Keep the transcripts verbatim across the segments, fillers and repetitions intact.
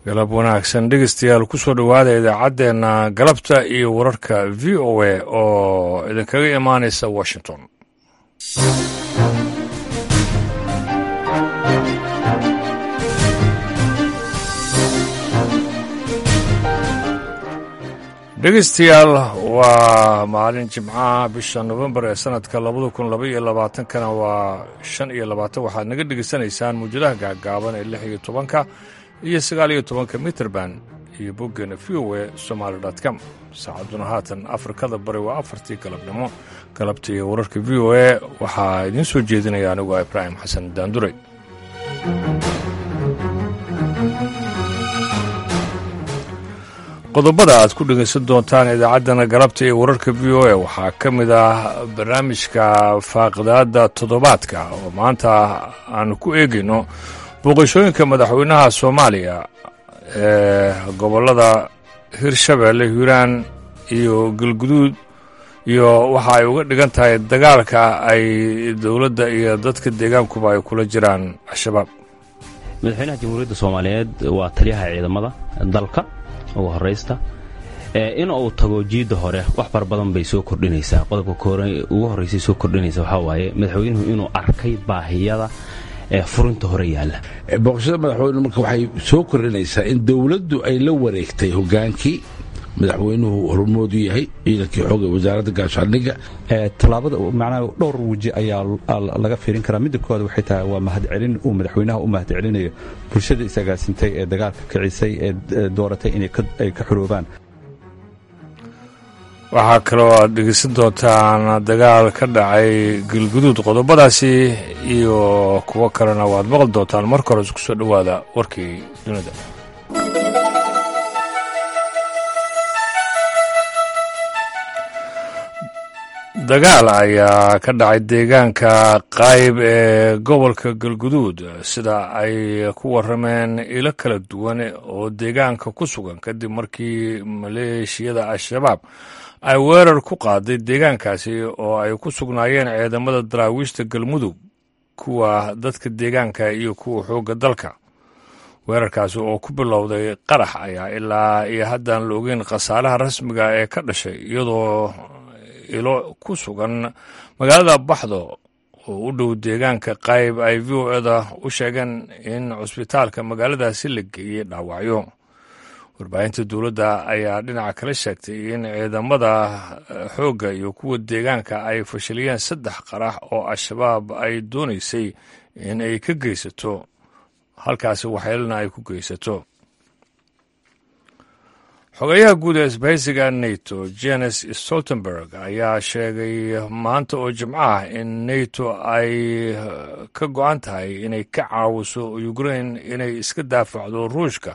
Galab wanaagsan, dhegeystayaal. Kusoo dhowaada idaacaddeenna galabta iyo wararka V O A oo idinkaga imaanaysa Washington. Dhegeystayaal, waa maalin Jimcaha, bisha Nofembar ee sanadka labada kun laba iyo labaatankana waa shan iyo labaatan. Waxaad naga dhegeysanaysaan mawjadaha gaagaaban ee lix iyo tobanka iyo sagaal iyo tobanka mitrban iyo boggeena V O A Somaly dot com. Saacadduna haatan Afrikada Bari waa afartii galabnimo. Galabta iyo wararka V O A waxaa idiin soo jeedinaya anigu Ibraahim Xasan Daanduray. Qodobada aad ku dhegaysan doontaan idaacaddana galabta iyo wararka V O A waxaa ka mid ah barnaamijka faaqidaada toddobaadka oo maanta aanu ku eegayno booqashooyinka madaxweynaha Soomaaliya ee gobollada Hirshabeelle, Hiiraan iyo Galguduud iyo waxa ay uga dhigan tahay dagaalka ay dowladda iyo dadka deegaankuba ay kula jiraan Al-Shabaab. Madaxweynaha Jamhuuriyadda Soomaaliyeed waa taliyaha ciidamada dalka ugu horaysta. In uu tago jiidda hore wax fara badan bay soo kordhinaysaa. Qodobka ugu horraysay soo kordhinaysa waxaa waaye madaxweynuhu inuu arkay baahiyada ee furinta hore yaalla. Booqashada madaxweynuhu marka waxay soo kordhinaysaa in dowladdu ay la wareegtay hogaankii, madaxweynuhu hormoodu yahay, ciidankii xooga, Wasaaradda Gaashaandhigga. Tallaabada macnaha dhowr weji ayaa laga fiirin karaa. Midda koowaad waxay tahay waa mahadcelin uu madaxweynaha u mahadcelinayo bulshada isagaasintay ee dagaalka kicisay ee dooratay inay ka xuroobaan. Waxaa kaloo aad dhegeysan doontaan dagaal ka dhacay Galguduud. Qodobadaasi iyo kuwo kalena waad maqli doontaan. Marka hore isku soo dhowaada warkii dunida. Dagaal ayaa ka dhacay deegaanka Qayb ee gobolka Galguduud, sida ay ku warameen ilo kala duwan oo deegaanka ku sugan, kadib markii maleeshiyada Al-Shabaab ay weerar ku qaaday deegaankaasi oo ay ku sugnaayeen ciidamada Daraawiishta Galmudug, kuwa dadka deegaanka iyo kuwa xoogga dalka. Weerarkaasi oo ku bilowday qarax ayaa ilaa iyo haddaan la ogeyn khasaaraha rasmiga ee ka dhashay, iyadoo ilo ku sugan magaalada Baxdo oo u dhow deegaanka Qayb ay V O A-da u sheegeen in cusbitaalka magaaladaasi la geeyey dhaawacyo. Warbaahinta dowladda ayaa dhinaca kale sheegtay in ciidamada xoogga iyo kuwa deegaanka ay fashiliyeen saddex qarax oo Al-Shabaab ay doonaysay in ay ka geysato halkaasi, waxyeelana ay ku geysato. Xogayaha guud ee isbahaysiga NATO, Jens Stoltenberg, ayaa sheegay maanta oo Jimco ah in NATO ay ka go'an tahay inay ka caawiso Ukraine inay iska daafacdo Ruushka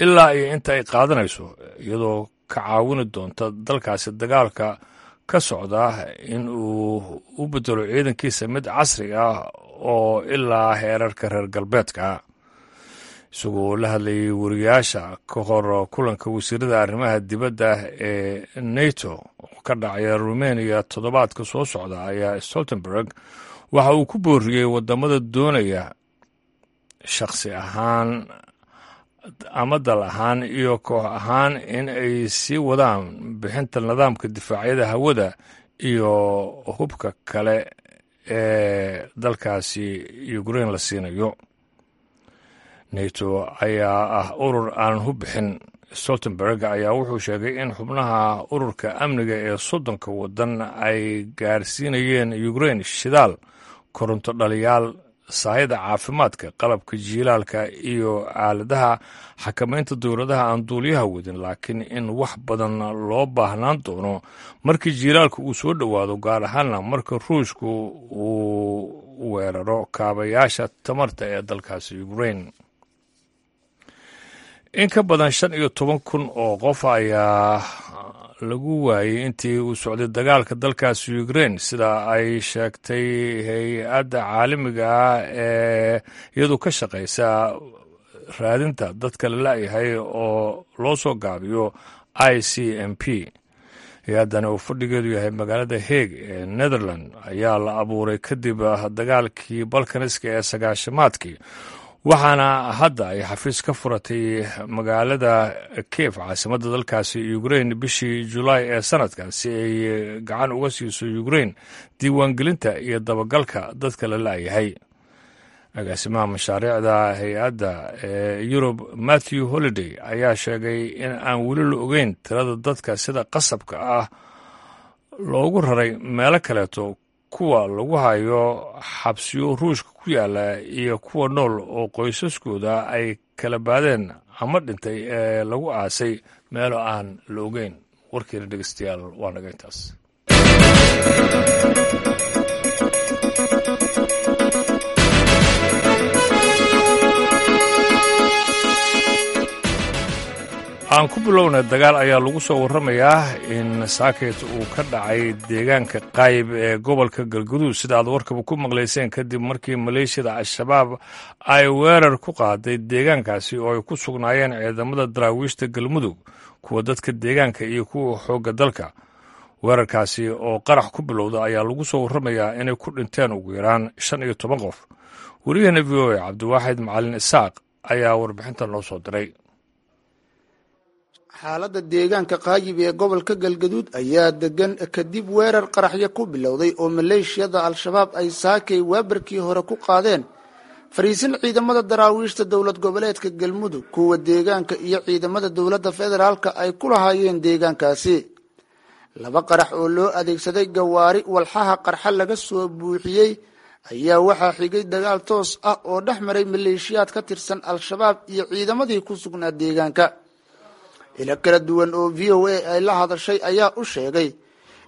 ilaa iyo inta ay qaadanayso, iyadoo ka caawini doonta dalkaasi dagaalka ka socda in uu u bedelo ciidankiisa mid casri ah oo ilaa heerarka reer galbeedka. Isagoo la hadlayay wariyaasha ka hor kulanka wasiirada arrimaha dibadda ee NATO oo ka dhacaya Rumeniya toddobaadka soo socda, ayaa Stoltenberg waxa uu ku booriyey wadamada doonaya shakhsi ahaan ama dal ahaan iyo koox ahaan in ay sii wadaan bixinta nidaamka difaacyada hawada iyo hubka kale ee dalkaasi Ukraine la siinayo. NATO ayaa ah urur aanan hub bixin. Stoltenberg ayaa wuxuu sheegay in xubnaha ururka amniga ee soddonka waddan ay gaarsiinayeen Ukraine shidaal, koronto dhaliyaal, sahayda caafimaadka, qalabka jiilaalka iyo aaladaha xakamaynta dowladaha aan duuliyaha wadin, laakiin in wax badan loo baahnaan doono markii jiilaalka uu soo dhowaado, gaar ahaanna marka Ruushku uu weeraro kaabayaasha tamarta ee dalkaasi Ukraine. In ka badan shan iyo toban kun oo qof ayaa lagu waayey intii uu socday dagaalka dalkaasi Ukraine, sida ay sheegtay hay'adda caalamiga ah ee iyadu ka shaqaysa raadinta dadka la la'yahay oo loo soo gaabiyo I C M P. Hay'addani oo fadhigeedu yahay magaalada Hague ee Netherland ayaa la abuuray kadib dagaalkii Balkaniska ee sagaashamaadkii, Waxaana hadda ay xafiis ka furatay magaalada Kiev, caasimadda dalkaasi Ukrain, bishii Julaay ee sanadkan si ay gacan uga siiso Ukrain diiwaangelinta iyo dabagalka dadka la la'yahay. Agaasimaha mashaariicda hay-adda ee Yurub, Matthew Holiday, ayaa sheegay in aan weli la ogeyn tirada dadka sida qasabka ah loogu raray meelo kaleeto, kuwa lagu hayo xabsiyo Ruushka ku yaala iyo kuwa nool oo qoysaskooda ay kala baadeen ama dhintay ee lagu aasay meelo aan la ogeyn. Warkiina dhegeystayaal waa naga intaas. Aan ku bilowna, dagaal ayaa lagu soo warramayaa in saaket uu ka dhacay deegaanka Qaayib ee gobolka Galguduud, sida aad warkaba ku maqlayseen, kadib markii maleeshiyada Al-Shabaab ay weerar ku qaaday deegaankaasi oo ay ku sugnaayeen ciidamada daraawiishta Galmudug, kuwa dadka deegaanka iyo kuwa xoogga dalka. Weerarkaasi oo qarax ku bilowda ayaa lagu soo warramayaa inay ku dhinteen ugu yaraan shan iyo toban qof. Wariyaheena V O A Cabdiwaaxid Macalin Isaaq ayaa warbixintan noo soo diray. Xaaladda deegaanka Qaayib ee gobolka Galgaduud ayaa degan kadib weerar qaraxyo ku bilowday oo maleeshiyada Al-Shabaab ay saakay waabarkii hore ku qaadeen fariisin ciidamada daraawiishta dowlad goboleedka Galmudug, kuwa deegaanka iyo ciidamada dowladda federaalka ay ku lahaayeen deegaankaasi. Laba qarax oo loo adeegsaday gawaari walxaha qarxa laga soo buuxiyey ayaa waxaa xigay dagaal toos ah oo dhex maray maleeshiyaad ka tirsan Al-Shabaab iyo ciidamadii ku sugnaa deegaanka. Ilo kala duwan oo V O A ay la hadashay ayaa u sheegay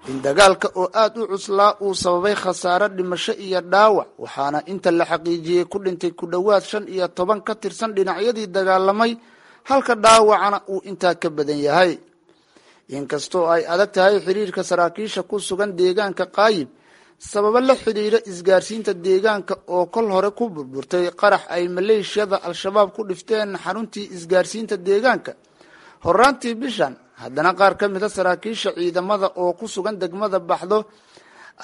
in dagaalka oo aad u cuslaa uu sababay khasaare dhimasho iyo dhaawac, waxaana inta la xaqiijiyey ku dhintay ku dhowaad shan iyo toban ka tirsan dhinacyadii dagaalamay, halka dhaawacana uu intaa ka badan yahay. Inkastoo ay adag tahay xiriirka saraakiisha ku sugan deegaanka Qaayib sababo la xidhiira isgaarsiinta deegaanka oo kol hore ku burburtay qarax ay maleeshiyada Al-Shabaab ku dhifteen xaruntii isgaarsiinta deegaanka horaantii bishan, haddana qaar ka mid a saraakiisha ciidamada oo ku sugan degmada Baxdo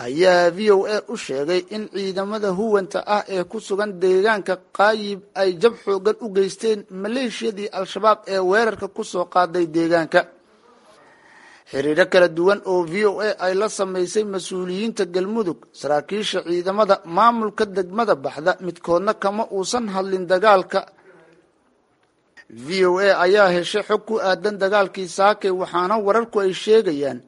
ayaa V O A u sheegay in ciidamada huwanta ah ee ku sugan deegaanka Qaayib ay jab xoogan u geysteen maleeshiyadii Al-Shabaab ee weerarka ku soo qaaday deegaanka. Xiriiro kala duwan oo V O A ay la samaysay mas-uuliyiinta Galmudug, saraakiisha ciidamada, maamulka degmada Baxda, midkoodna kama uusan hadlin dagaalka. V O A ayaa heshay xog ku aadan dagaalkii saakay, waxaana wararku ay sheegayaan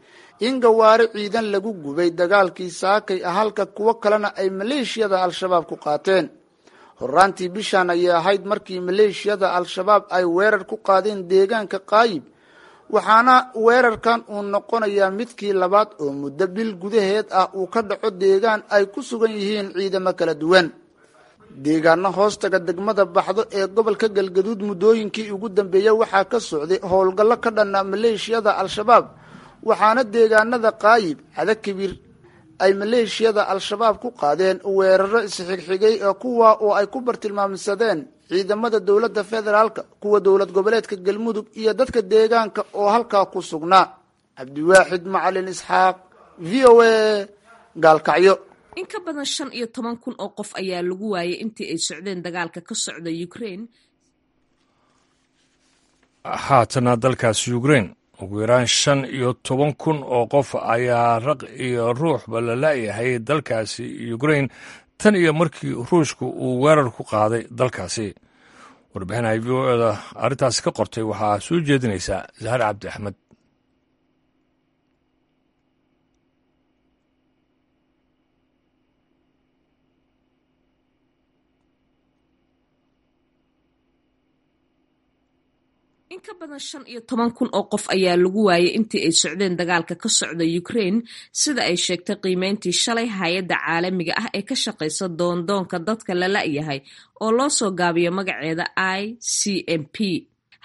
in gawaari ciidan lagu gubay dagaalkii saakay, halka kuwo kalena ay maleeshiyada Al-Shabaab ku qaateen. Horaantii bishan ayay ahayd markii maleeshiyada Al-Shabaab ay weerar ku qaadeen deegaanka Qaayib, waxaana weerarkan uu noqonayaa midkii labaad oo muddo bil gudaheed ah uu ka dhaco deegaan ay ku sugan yihiin ciidamo kala duwan. Deegaano hoostaga degmada Baxdo ee gobolka Galgaduud muddooyinkii ugu dambeeyey waxaa ka socday howlgallo ka dhanna maleeshiyada Al-Shabaab, waxaana deegaanada Qaayib, Cadakibir ay maleeshiyada Al-Shabaab ku qaadeen weeraro isxigxigay kuwa oo ay ku bartilmaamsadeen ciidamada dowladda federaalka, kuwa dowlad goboleedka Galmudug iyo dadka deegaanka oo halkaa ku sugnaa. Cabdiwaaxid Macalin Isxaaq, V O A, Gaalkacyo. In ka badan shan iyo toban kun oo qof ayaa lagu waayay intii ay socdeen dagaalka ka socda Ukraine. Haatana dalkaasi Ukraine ugu yaraan shan iyo toban kun oo qof ayaa raq iyo ruuxba la la'yahay dalkaasi Ukraine tan iyo markii Ruushku uu weerar ku qaaday dalkaasi. Warbixin ay V O A-da arrintaasi ka qortay waxaa soo jeedinaysaa Zahar Cabdi Axmed. In ka badan shan iyo toban kun oo qof ayaa lagu waayay intii ay socdeen dagaalka ka socda Ukraine, sida ay sheegtay qiimeyntii shalay hay'adda caalamiga ah ee ka shaqeysa doondoonka dadka la la'yahay oo loo soo gaabiyo magaceeda I C M P.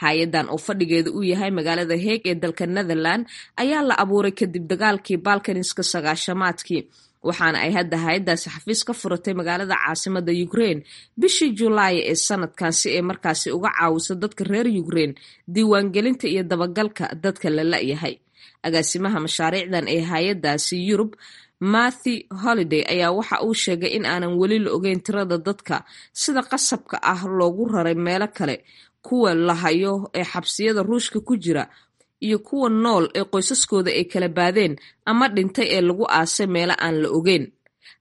Hay-addan oo fadhigeedu uu yahay magaalada Hague ee dalka Netherland ayaa la abuuray kadib dagaalkii Balkaniska sagaashamaadkii, waxaana ay hadda hay-addaasi xafiis ka furatay magaalada caasimada Ukraine bishii Julaay ee sanadkan si ay markaasi uga caawiso dadka reer Ukraine diiwaangelinta iyo dabagalka dadka la la'yahay. Agaasimaha mashaariicdan ee hay-addaasi Yurub, Matthew Holiday ayaa waxa uu sheegay in aanan weli la ogeyn tirada dadka sida qasabka ah loogu raray meelo kale, kuwa la hayo ee xabsiyada Ruushka ku jira iyo kuwa nool ee qoysaskooda ay kala baadeen ama dhintay ee lagu aasay meelo aan la ogeyn.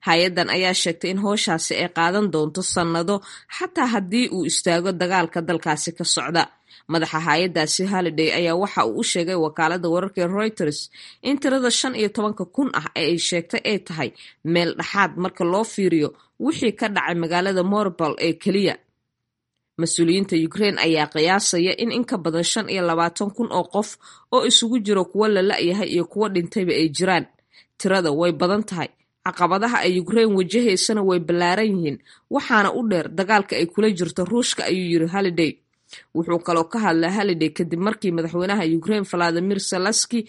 Hay-addan ayaa sheegtay in howshaasi ay qaadan doonto sannado xataa haddii uu istaago dagaalka dalkaasi ka socda. Madaxa hay-addaasi Holiday ayaa waxa uu u sheegay wakaaladda wararka ee Reuters in tirada shan iyo tobanka kun ah ee ay sheegtay ay tahay meel dhexaad marka loo fiiriyo wixii ka dhacay magaalada Mariupol ee keliya. Mas-uuliyiinta Ukraine ayaa qiyaasaya in in ka badan shan iyo labaatan kun oo qof oo isugu jiro kuwo la la'yahay iyo kuwo dhintayba ay jiraan. Tirada way badan tahay, caqabadaha ay Ukraine wajahaysana way ballaaran yihiin, waxaana u dheer dagaalka ay kula jirto Ruushka, ayuu yiri Holiday. Wuxuu kaloo ka hadlay Holiday kadib markii madaxweynaha Ukraine Vladimir Zelensky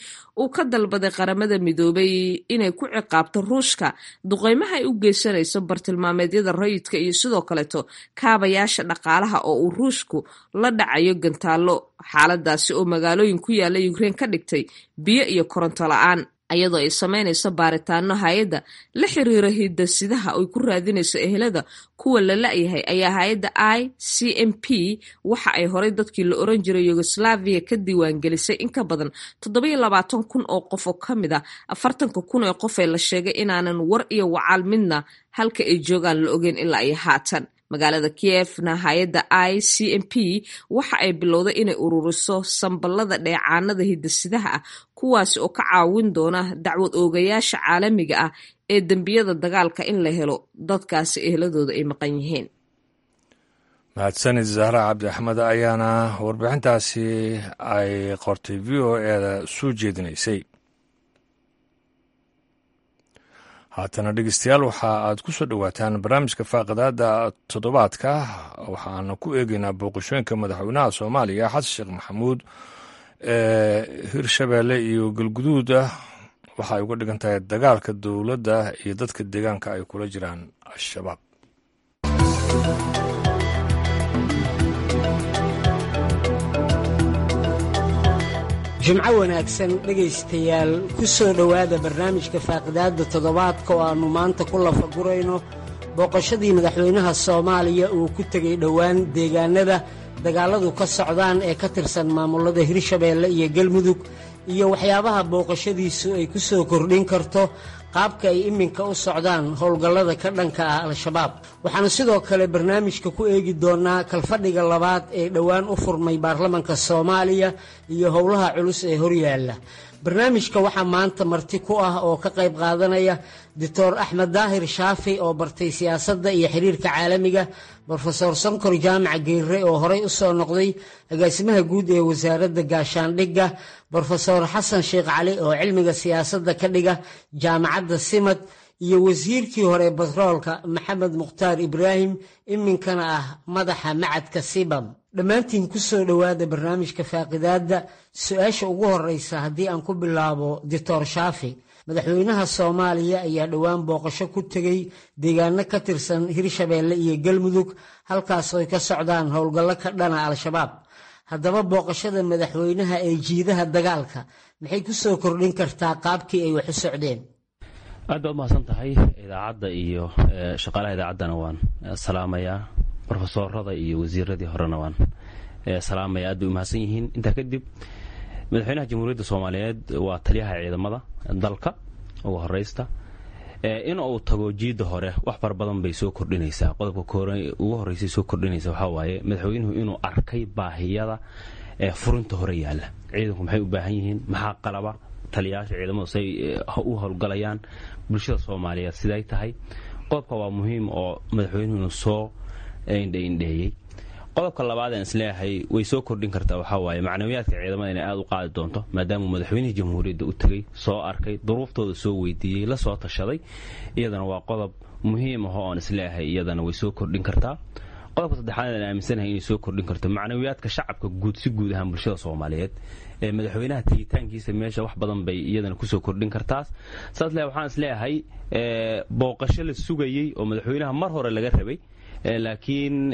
uu ka dalbaday Qaramada Midoobay inay ku ciqaabto Ruushka duqeymaha ay u geysanayso bartilmaameedyada rayidka iyo sidoo kaleeto kaabayaasha dhaqaalaha oo uu Ruushku la dhacayo gantaallo, xaaladaasi oo magaalooyin ku yaala Ukraine ka dhigtay biyo iyo koronto la'aan. Iyadoo ay sameynayso baaritaano hay-adda la xiriira hidasidaha ay ku raadinayso ehelada kuwa la la'yahay ayaa hay-adda I C M P waxa ay horay dadkii la oran jiray Yugoslavia ka diiwaangelisay in ka badan toddoba iyo labaatan kun oo qof oo ka mid ah afartanka kun ee qof ee la sheegay inaanan war iyo wacaal midna halka ay joogaan la ogeyn ilaa iyo haatan. Magaalada Kievna hay-adda I C M P waxa ay bilowday inay ururiso sambalada dheecaanada hidasidaha ah, kuwaasi oo ka caawin doona dacwad oogayaasha caalamiga ah ee dembiyada dagaalka in la helo dadkaasi ehladooda ay maqan yihiin. Mahadsanid Zahra Cabdi Axmed ayaana warbixintaasi ay qortay V O E-da soo jeedinaysay. Haatana dhegeystayaal, waxa aad ku soo dhowaataan barnaamijka faaqidaada toddobaadka. Waxaana ku eegeynaa booqashooyinka madaxweynaha Soomaaliya Xasan Sheekh Maxamuud ee Hirshabeelle iyo Galguduud ah waxa ay uga dhigan tahay dagaalka dowladda iyo dadka deegaanka ay kula jiraan Al-Shabaab. Jimco wanaagsan dhegaystayaal, ku soo dhowaada barnaamijka faaqidaadda toddobaadka oo aannu maanta ku lafagurayno booqashadii madaxweynaha Soomaaliya uu ku tegey dhowaan deegaanada dagaalladu ka socdaan ee ka tirsan maamullada Hirshabeelle iyo Galmudug, iyo waxyaabaha booqashadiisu ay ku soo kordhin karto qaabka ay iminka u socdaan howlgallada ka dhanka ah Al-Shabaab. Waxaannu sidoo kale barnaamijka ku eegi doonnaa kalfadhiga labaad ee dhowaan u furmay baarlamanka Soomaaliya iyo howlaha culus ee horyaalla. Barnaamijka waxaa maanta marti ku ah oo ka qayb qaadanaya Doctor Axmed Daahir Shaafi oo bartay siyaasadda iyo xiriirka caalamiga, Brofesor Sonkor Jaamac Geirre oo horey u soo noqday agaasimaha guud ee wasaaradda gaashaandhigga, Brofesor Xasan Sheekh Cali oo cilmiga siyaasadda ka dhiga jaamacadda Simad, iyo wasiirkii hore batroolka Maxamed Mukhtaar Ibraahim, iminkana ah madaxa macadka Sibam. Dhammaantiin ku soo dhowaada barnaamijka faaqidaadda. Su-aasha ugu horeysa haddii aan ku bilaabo Doctor Shaafi, madaxweynaha Soomaaliya ayaa dhowaan booqasho ku tegey deegaano ka tirsan Hirshabeelle iyo Galmudug, halkaas ay ka socdaan howlgallo ka dhana Al-Shabaab. Haddaba booqashada madaxweynaha ee jiidaha dagaalka maxay ku soo kordhin kartaa qaabkii ay wax u socdeen? Aad baad umahadsan tahay. Idaacadda iyo shaqaalaha idaacaddana waan salaamayaa, brofesoorada iyo wasiiradii horena waan salaamaya, aad bay umahadsan yihiin. Intaa kadib, madaxweynaha Jamhuuriyadda Soomaaliyeed waa taliyaha ciidamada dalka ugu horeysta. In uu tago jiidda hore wax fara badan bay soo kordhinaysaa. Qodobka ugu horreysay soo kordhinaysa waxaa waaye madaxweynuhu inuu arkay baahiyada furinta hore yaalla. Ciidanku maxay u baahan yihiin, maxaa qalaba, taliyayaasha ciidamadu say u howlgalayaan, bulshada Soomaaliyeed siday tahay. Qodobka waa muhiim oo madaxweynuhu inuu soo indhaindheeyey. Qodobka labaad aan isleeyahay way soo kordhin kartaa waxaa waaye macnawiyaadka ciidamada inay aada u qaadi doonto, maadaamuu madaxweynihii jamhuuriyadda u tegey, soo arkay duruuftooda, soo weydiiyey, la soo tashaday. Iyadana waa qodob muhiim ah oo aan isleeyahay iyadana way soo kordhin kartaa. Qodobka saddexaad aan aaminsanahay inay soo kordhin karto macnawiyaadka shacabka guud, si guud ahaan bulshada Soomaaliyeed, ee madaxweynaha tegitaankiisa meesha wax badan bay iyadana kusoo kordhin kartaas. Saas le waxaan isleeyahay booqasho la sugayey oo madaxweynaha mar hore laga rabay Laakiin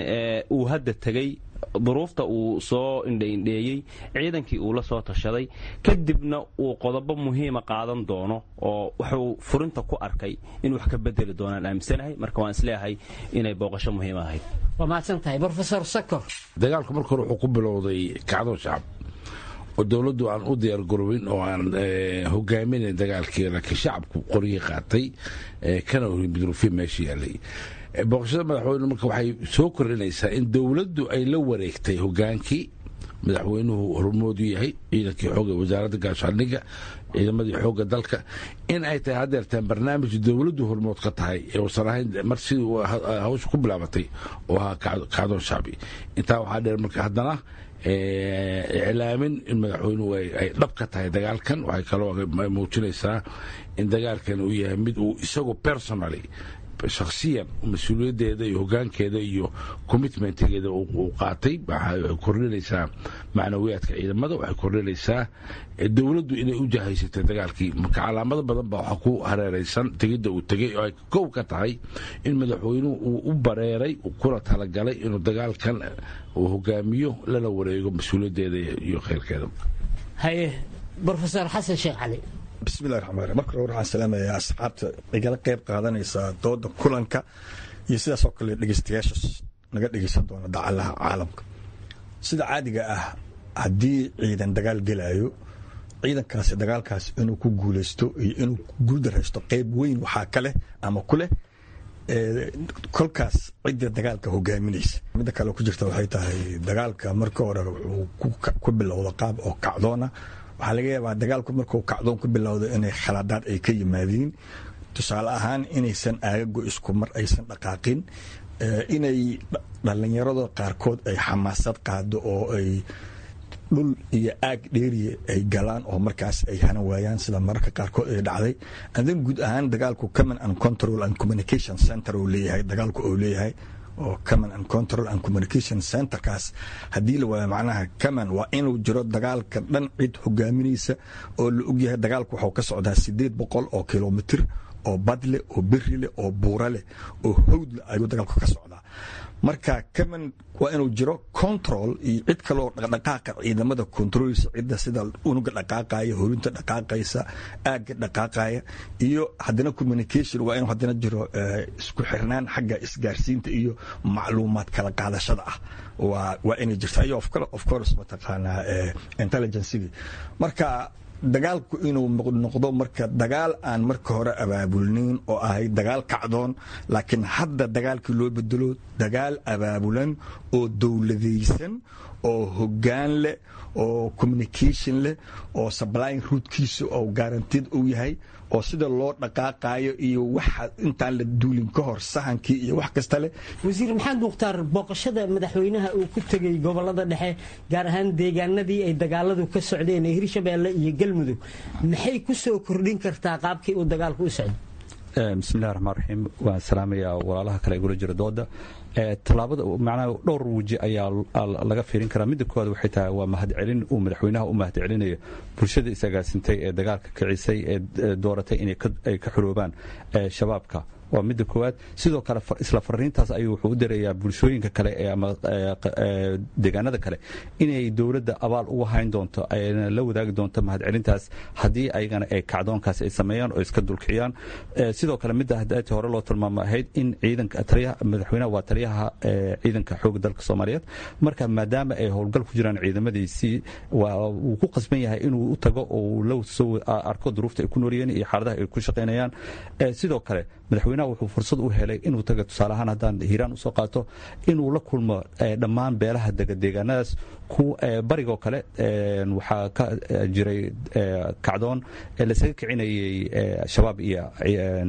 uu hadda tegey, duruufta uu soo indhaindheeyey, ciidankii uu la soo tashaday, kadibna uu qodobo muhiima qaadan doono oo wuxuu furinta ku arkay in wax ka bedeli doonaan aaminsanahay. Marka waan isleeyahay inay booqasho muhiim ahayd. Waa mahadsan tahay, Brofesor Sakor. Dagaalku marka hore wuxuu ku bilowday kacdo shacab oo dowladdu aan u diyaargarowin oo aan hogaaminayn dagaalkii, laakiin shacabku qoryihii qaatay kana hormidruufyo meesha yaalay. Booqashada madaxweyne marka waxay soo kordhinaysaa in dowladdu ay la wareegtay hogaankii, madaxweynuhu hormoodu yahay, ciidankii xooga, wasaaradda gaashaandhigga, ciidamadii xoogga dalka, in ay tahay haddeertaan barnaamij dowladdu hormood ka tahay ee uusan ahayn mar sidii hawsha ku bilaabatay oo ahaa kacdoon shacbi. Intaa waxaa dheer marka haddana iclaamin in madaxweynuhu ay dhab ka tahay dagaalkan. Waxay kaloo muujinaysaa in dagaalkan uu yahay mid uu isagu personally, shakhsiyan, mas-uuliyaddeeda iyo hoggaankeeda iyo commitmentgeeda uu qaatay. Waxay kordhinaysaa macnawiyaadka ciidamada, waxay kordhinaysaa dowladdu inay u jahaysatay dagaalkii. Marka calaamado badan baa waxaa ku hareeraysan tegidda uu tegey oo ay kow ka tahay in madaxweynuhu uu u bareeray kuna talagalay inuu dagaalkan uu hogaamiyo, lana wareego mas-uuliyaddeeda iyo khayrkeeda. Haye, Brofesor Xasan Sheekh Cali. Bismillahi raxmaan raxiim. Marka hore waxaan salaamayaa asxaabta igala qayb qaadanaysa dooda kulanka iyo sidaas oo kale dhegeystayaasha naga dhegeysan doona dacalaha caalamka. Sida caadiga ah, haddii ciidan dagaal gelayo, ciidankaasi dagaalkaas inuu ku guuleysto iyo inuu guuldaraysto qayb weyn waxaa ka leh ama ku leh kolkaas cidda dagaalka hogaaminaysa. Midda kale ku jirta waxay tahay, dagaalka marka hore wuxuu ku bilowda qaab oo kacdoona. Waxaa laga yaabaa dagaalku markuu kacdoon ku bilowdo inay khaladaad ay ka yimaadiin, tusaale ahaan inaysan aagago isku mar aysan dhaqaaqin, inay dhallinyarada qaarkood ay xamaasad qaado oo ay dhul iyo aag dheeriya ay galaan oo markaas ay hanan waayaan, sida mararka qaarkood ay dhacday. And then guud ahaan dagaalku command and control and communication center uu leeyahay, dagaalku uu leeyahay oo command and control and communication centerkaas haddii la waayo, macnaha command waa inuu jiro dagaalka dhan cid hogaaminaysa oo la ogyahay. Dagaalku waxuu ka socdaa sideed boqol oo kilomitir oo bad leh oo beri leh oo buura leh oo hawd leh ayuu dagaalku ka socdaa. Marka command waa inuu jiro, control iyo cid kaleoo dhaqdhaqaaqa ciidamada controlsa, cidda sida unuga dhaqaaqaya, horinta dhaqaaqaysa, aagga dhaqaaqaya, iyo haddana communication waa inuu haddana jiro, isku xirnaan xagga isgaarsiinta iyo macluumaad kala qaadashada ah waa waa inay jirta, iyo of course mataqaanaa intelligencegii. Marka dagaalku inuu noqdo marka dagaal aan marka hore abaabulnayn oo ahay dagaal kacdoon, laakiin hadda dagaalkii loo bedelo dagaal abaabulan oo dowladaysan oo hoggaan leh oo communication leh oo supplying routekiisa oo guaranteed uu yahay oo sida loo dhaqaaqayo iyo waxa intaan la duulin ka hor sahankii iyo wax kasta leh. Wasiir Maxamed Mukhtaar, booqashada madaxweynaha uu ku tegey gobolada dhexe, gaar ahaan deegaanadii ay dagaaladu ka socdeen ee Hirshabeelle iyo Galmudug, maxay ku soo kordhin kartaa qaabkii uu dagaalku u socday? Bismillahi raxmaan raxiim. Waan salaamayaa walaalaha kale igula jira dooda. Tallaabada macnaha dhowr weji ayaa laga fiirin karaa. Midda koowaad waxay tahay waa mahadcelin uu madaxweynaha u mahadcelinayo bulshada isagaasintay ee dagaalka kicisay ee dooratay inay ay ka xoroobaan shabaabka, waa midda koowaad. Sidoo kale isla fariintaas ayuu wuxuu u dirayaa bulshooyinka kale ee ama deegaanada kale inay dowladda abaal uga hayn doonto, ayna la wadaagi doonto mahadcelintaas haddii ayagana ay kacdoonkaas ay sameeyaan oo iska dulkiciyaan. Sidoo kale midda hadaati hore loo tilmaamo ahayd in ciidanka taliyaha, madaxweynaha waa taliyaha ciidanka xoogga dalka Soomaaliyeed, marka maadaama ay howlgal ku jiraan ciidamadiisii, wuu ku qasban yahay inuu u tago oo uu la soo arko duruufta ay ku noolyihiin iyo xaaladaha ay ku shaqaynayaan. Sidoo kale madaxweynaha wuxuu fursad u helay inuu taga, tusaale ahaan haddaan Hiiraan usoo qaato, inuu la kulmo dhammaan beelaha dega deegaanadaas. Ku barigoo kale waxaa ka jiray kacdoon lasaga kicinayay shabaab iyo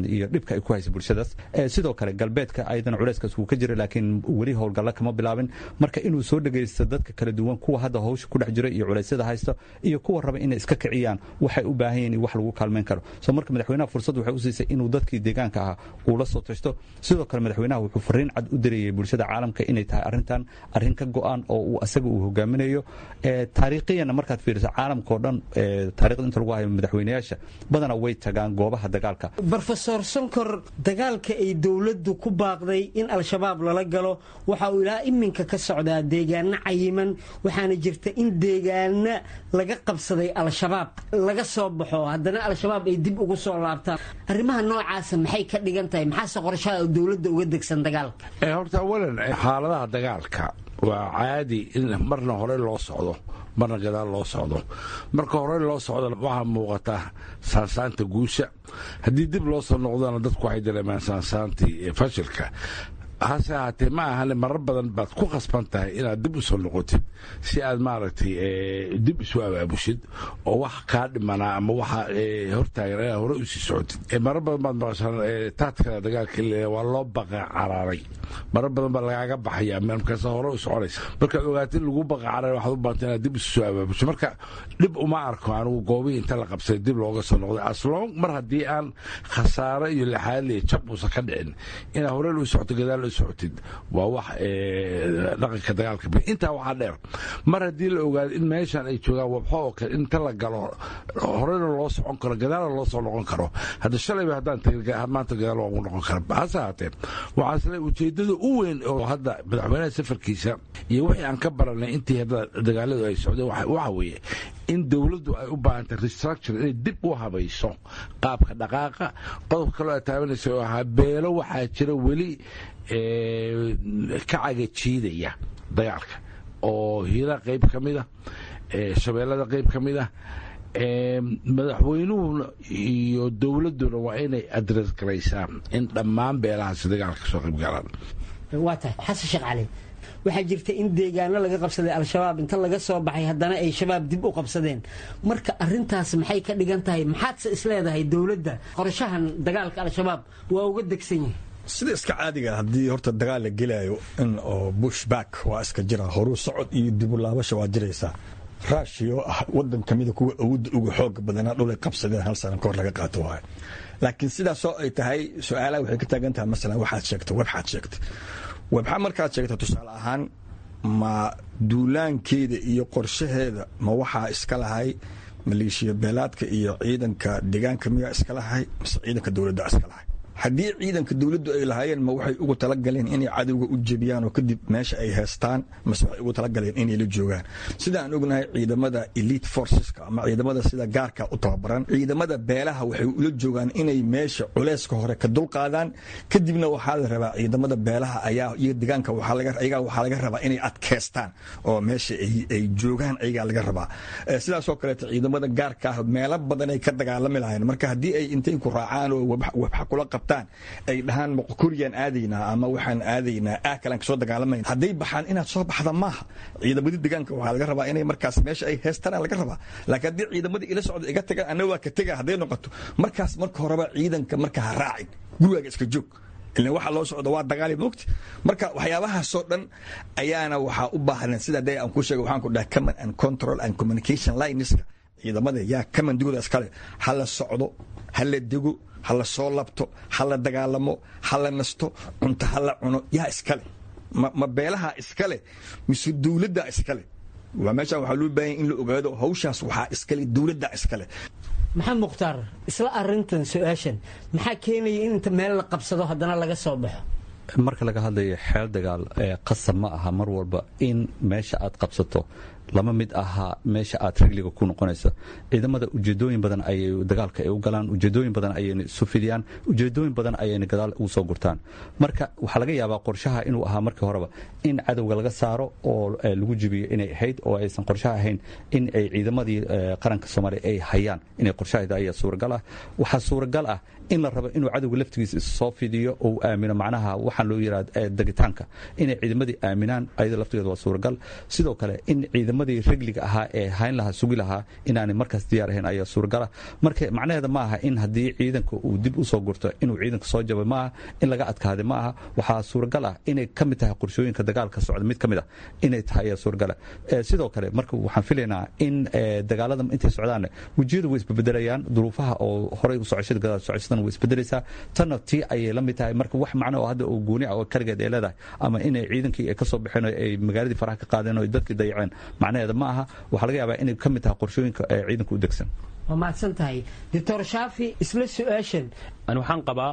iyo dhibka ay ku haysa bulshadaas. Sidoo kale galbeedka ayadana culayskaas wuu ka jiray, laakiin weli howlgalla kama bilaabin. Marka inuu soo dhegaysto dadka kala duwan, kuwa hadda hawsha ku dhex jira iyo culaysyada haysta iyo kuwa raba inay iska kiciyaan, waxay u baahan yihiin wax lagu kaalmeyn karo. So marka madaxweynaha fursad waxay u siisay inuu dadkii deegaanka ahaa uu la soo tashto. Sidoo kale madaxweynaha wuxuu fariin cad u dirayay bulshada caalamka inay tahay arrintan arrin ka go'an oo uu asaga uu hogaaminayo. Taariikhiyana markaad fiiriso caalamka oo dhan, taariikhda inta lagu hayo madaxweynayaasha badanaa way tagaan goobaha dagaalka. Brofesor Sonkor, dagaalka ay dowladdu ku baaqday in Al-Shabaab lala galo waxa uu ilaa iminka ka socdaa deegaano cayiman, waxaana jirta in deegaano laga qabsaday Al-Shabaab laga soo baxo, haddana Al-Shabaab ay dib ugu soo laabtaan. Arrimaha noocaasa maxay ka dhigan tahay? Maxaase qorshaha dowladda uga degsan dagaalka? Horta awalan, xaaladaha dagaalka waa caadi in marna hore loo socdo, marna gadaal loo socdo. Marka hore loo socdo waxaa muuqata saansaanta guusha, haddii dib loo soo noqdona dadku waxay dareemaan saansaantii fashilka. Hase ahaatee ma ahane, marar badan baad ku khasban tahay inaad dib u soo noqotid si aad maaragtay dib isu abaabushid oo wax kaa dhimanaa ama waxa hortaagan inaad hore usii socotid. Marar badan baad maqashaan taadkada dagaalka waa loo baqa caraaray, marar badan baa lagaaga baxaya markaas hore u soconaysa. Markaad ogaatid in lagu baqa cararay, waxaad u baahantay inaad dib isu soo abaabusho. Marka dhib uma arko anigu goobihii inta la qabsaday dib looga soo noqday, aslong mar haddii aan khasaare iyo lixaadle iyo jab uusan ka dhicin, inaad hore u socoto gadaal socotid waa wax dhaqanka dagaalka. Intaa waxaa dheer, mar haddii la ogaado in meeshan ay joogaan wabxo oo kale, inta la galo horena loo socon karo, gadaalna loo soo noqon karo. Hadda shalayba haddaan tagin, maanta gadaal waa ugu noqon kara. Hase ahaatee waxaa isle ujeeddada u weyn oo hadda madaxweynaha safarkiisa iyo wixii aan ka baranay intii hadda dagaaladu ay socdeen waxa weeye in dowladdu ay u baahantay restructure, inay dib u habayso qaabka dhaqaaqa. Qodobka kaloo aad taabanaysa oo ahaa beelo, waxaa jira weli ka cagajiidaya dagaalka oo hiira qayb ka mid ah, shabeellada qayb ka mid ah. Madaxweynuhuna iyo dowladduna waa inay address garaysaa in dhammaan beelahaasi dagaalka kasoo qayb galaan. Waa tahay. Xasan Sheekh Cali, waxaa jirta in deegaano laga qabsaday Al-Shabaab inta laga soo baxay haddana ay Shabaab dib u qabsadeen. Marka arrintaas maxay ka dhigan tahay? Maxaadse isleedahay dowladda qorshahan dagaalka Al-Shabaab waa uga degsan yahay? Sida iska caadiga, haddii horta dagaal la gelaayo in oo push back waa iska jira, horuu socod iyo dib u laabasha waa jiraysaa. Ruushia oo ah wadan kamida kuwa awoodda uga xooga badanaa dhulay qabsadeen hal sana kahor laga qaato waayo. Laakiin sidaasoo ay tahay, su-aalaha waxay ka taagan tahay, masalan waxaad sheegtay Wabxaad sheegtay Wabxa markaad sheegtay tusaale ahaan, ma duulaankeeda iyo qorshaheeda ma waxaa iska lahay maleeshiya beelaadka iyo ciidanka deegaanka miyaa iska lahay, mise ciidanka dowladda iska lahay? Haddii ciidanka dowladdu ay lahaayeen, ma waxay ugu talagaleen inay cadowga u jebiyaan oo kadib meesha ay heestaan, mase waxay ugu talagaleen inay la joogaan? Sida aan ognahay, ciidamada elite forceska ama ciidamada sida gaarka u tababaran, ciidamada beelaha waxay ula joogaan inay meesha culeyska hore ka dulqaadaan. Kadibna waxaa la rabaa ciidamada beelaha ayaa iyo deegaanka ayagaa waxaa laga rabaa inay adkeystaan oo meesha ay joogaan ayagaa laga rabaa. Sidaasoo kaleeto ciidamada gaarka ah meelo badan ay ka dagaalami lahayn. Marka haddii ay intay ku raacaan oo Wabxa kula qabtaan ay dhahaan Moqokoriyaan aadaynaa ama waxaan aadaynaa ah kalaan kasoo dagaalamayna, hadday baxaan inaad soo baxda maaha. Ciidamadii deegaanka waxaa laga rabaa inay markaas meesha ay heestaan laga rabaa. Laakiin haddii ciidamadii ila socda iga tagaan, anna waa ka tega hadday noqoto, markaas marka horeba ciidanka marka ha raacin, gurigaaga iska joog, ilan waxa loo socdo waa dagaali mogti. Marka waxyaabahaasoo dhan ayaana waxaa u baahnan sida dee aan ku sheegay, waxaan ku dhahay command and control and communication lineska ciidamada yaa commandigooda iskale. Ha la socdo, ha la dego, ha la soo labto, ha la dagaalamo, ha la nasto, cunto ha la cuno, yaa iskale? ma ma beelaha iskale mise dowladda iskale? Waa meeshaan waxaa loo baahanya in la ogaado hawshaas waxaa iskale dowladda iskale. Maxamed Mukhtaar, isla arintan su-aashan, maxaa keenaya in inta meel la qabsado haddana laga soo baxo? Marka laga hadlayo xeel dagaal, qasab ma aha mar walba in meesha aad qabsato lama mid ahaa meesha aad rigliga ku noqonayso. Ciidamada ujeedooyin badan ayay dagaalka ay u galaan, ujeedooyin badan ayayna isu fidiyaan, ujeedooyin badan ayayna gadaal ugu soo gurtaan. Marka waxaa laga yaabaa qorshaha inuu ahaa markii horeba in cadowga laga saaro oo lagu jibiyo inay ahayd, oo aysan qorshaha ahayn in ay ciidamadii qaranka Soomaaliya ay hayaan inay qorshaheeda ayaa suuragal ah. Waxaa suuragal ah in la rabo inuu cadowga laftigiisa issoo fidiyo oo uu aamino, macnaha waxaan loo yidhahda degitaanka inay ciidamadii aaminaan ayada laftigeeda waa suuragal. Sidoo kale in ciidamadii Ciidamadii regliga ahaa ee hayn lahaa, sugi lahaa, inaanay markaas diyaar ahayn ayaa suuragala. Marka macnaheeda ma aha in haddii ciidanka uu dib usoo gurto inuu ciidanka soo jabay, ma aha in laga adkaaday, ma aha. Waxaa suuragal ah inay ka mid tahay qorshooyinka dagaalka socda mid ka mid ah inay tahay ayaa suuragala. Sidoo kale marka waxaan filaynaa in dagaalada intay socdaan wejiyadu way isbedelayaan, duruufaha oo horay u socoshada, gadaal socoshadan way isbedelaysaa, tanna tii ayay la mid tahay. Marka wax macno oo hadda oo gooni ah oo kaligeed ay leedahay ama inay ciidankii ay ka soo baxeen oo ay magaaladii faraha ka qaadeen oo ay dadkii dayaceen, macnaheeda ma aha. Waxaa laga yaabaa inay ka mid tahay qorshooyinka ee ciidanka u degsan. Waa mahadsan tahay, Doctor Shaafi. Isla su-aashan. Ani waxaan qabaa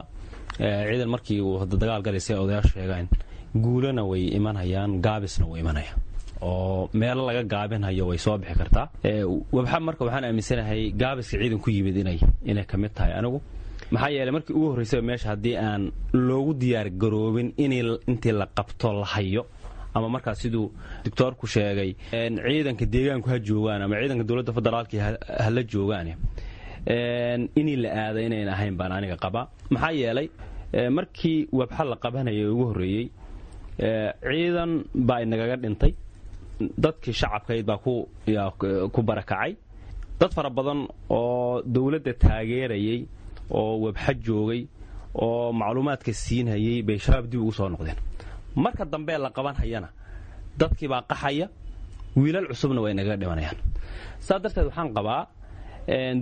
ciidan markii uu hadda dagaal galaysay, odayaashu sheegaan, guulana way imanayaan, gaabisna way imanayaan, oo meelo laga gaabinhayo way soo bixi kartaa. Wabxa marka waxaan aaminsanahay gaabiska ciidan ku yimid inay inay ka mid tahay anigu, maxaa yeeley markii ugu horraysaba meesha haddii aan loogu diyaar garoobin in intii la qabto la hayo, ama markaas siduu doctoorku sheegay ciidanka deegaanku ha joogaan ama ciidanka dowladda federaalka ha la joogaan, inii la aada inayn ahayn baan aniga qabaa. Maxaa yeelay markii wabxa la qabanayay ugu horreeyey ciidan baa inagaga dhintay, dadkii shacabkayd baa ku barakacay, dad fara badan oo dowladda taageerayay oo wabxa joogay oo macluumaadka siinhayay bay Shabaab dib ugu soo noqdeen. Marka dambe la qaban hayana dadkii baa qaxaya, wiilal cusubna way nagaga dhimanayaan. Saa darteed waxaan qabaa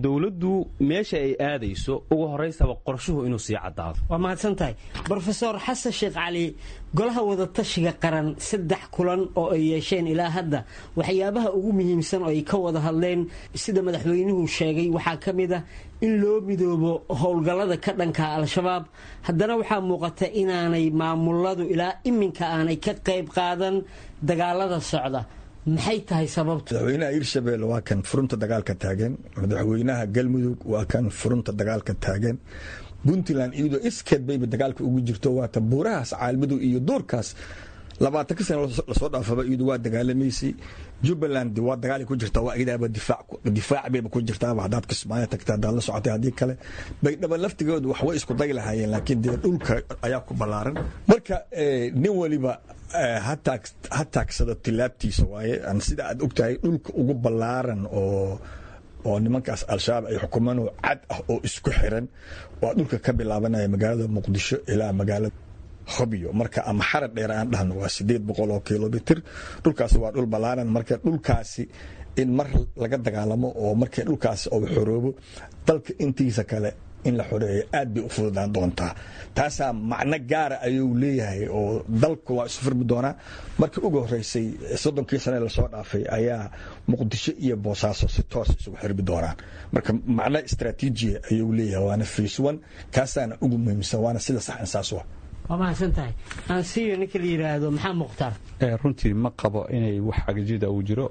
dowladdu meesha ay aadayso ugu horaysaba qorshuhu inuu sii caddaado. Waa mahadsan tahay, Brofesor Xasan Sheekh Cali. Golaha Wadatashiga Qaran saddex kulan oo ay yeesheen ilaa hadda, waxyaabaha ugu muhiimsan oo ay ka wada hadleen, sida madaxweynuhu sheegay, waxaa ka mid ah in loo midoobo howlgallada ka dhanka Al-Shabaab. Haddana waxaa muuqata inaanay maamuladu ilaa iminka aanay ka qayb qaadan dagaalada socda. Maxay tahay sababtu? Madaxweynaha Hirshabelle waa kan furunta dagaalka taagan, madaxweynaha Galmudug waa kan furunta dagaalka taagan, Puntland iyadoo iskeed bayba dagaalka ugu jirto, waata buurahaas Caalmadow iyo duurkaas labaatanka sano lasoo dhaafaba iyadu waa dagaalamaysay. Jubbaland waa dagaal ku jirta, waa iyadaaba difaac bayba ku jirtaaba. Haddaad Kismaayo tagta, haddaad la socotay, haddii kale Baydhaba laftigoodu wax way isku day lahaayeen, laakiin dee dhulka ayaa ku ballaaran. Marka nin waliba ha taagsado tilaabtiisa waaye. Sida aad ogtahay, dhulka ugu ballaaran oo oo nimankaas Al-Shabaab ay xukumaan oo cad ah oo isku xiran waa dhulka ka bilaabanaya magaalada Muqdisho ilaa magaalada Hobyo, marka ama Xara Dheer aan dhahno, waa sideed boqol oo kilomitir. Dhulkaasi waa dhul ballaaran. Marka dhulkaasi in mar laga dagaalamo oo markii dhulkaasi uu xoroobo, dalka intiisa kale in la xoreeyo aad bay u fududaan doontaa. Taasaa macno gaara ayuu leeyahay oo dalku waa isu furmi doonaa. Markii ugu horreysay soddonkii sane lasoo dhaafay ayaa Muqdisho iyo Boosaaso si toos isugu xirmi doonaan. Marka macno istraatiijiya ayuu leeyahay, waana phase one, kaasaana ugu muhiimsan, waana sida sax insaas u ah. Waa mahadsan tahay. Aansiiyo ninka la yidhaahdo Maxaa Mukhtaar. Runtii ma qabo inay wax cagajida uu jiro.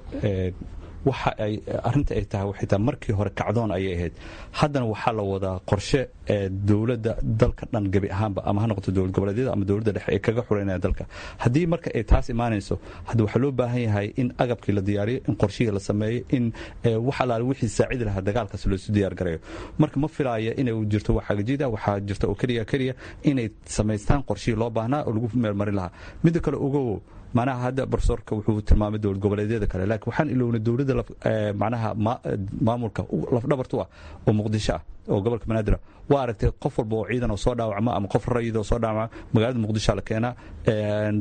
Waxa ay arrinta ay tahay waxay tahay markii hore kacdoon ayay ahayd, haddana waxaa la wadaa qorshe ee dowladda dalka dhan gebi ahaanba, ama ha noqoto dowlad goboleedyada ama dowladda dhexe, ay kaga xureynayaan dalka. Haddii marka ay taas imaanayso, hadda waxaa loo baahan yahay in agabkii la diyaariyo, in qorshihii la sameeyo, in wax alaale wixii saacidi lahaa dagaalkaas loosu diyaar garayo. Marka ma filaaya inay jirto wax xagajida. Waxaa jirta oo keliya keliya inay samaystaan qorshihii loo baahnaa oo lagu meelmarin lahaa. Midda kale, ogow, macnaha hadda profesorka wuxuu tilmaamay dowlad goboleedyada kale, laakiin waxaan ilownay dowladda macnaha maamulka lafdhabartu ah oo Muqdisho ah oo gobolka Banaadir. Waa aragtay, qof walba oo ciidan oo soo dhaawacma ama qof rayid oo soo dhaawacma magaalada Muqdisho la keenaa.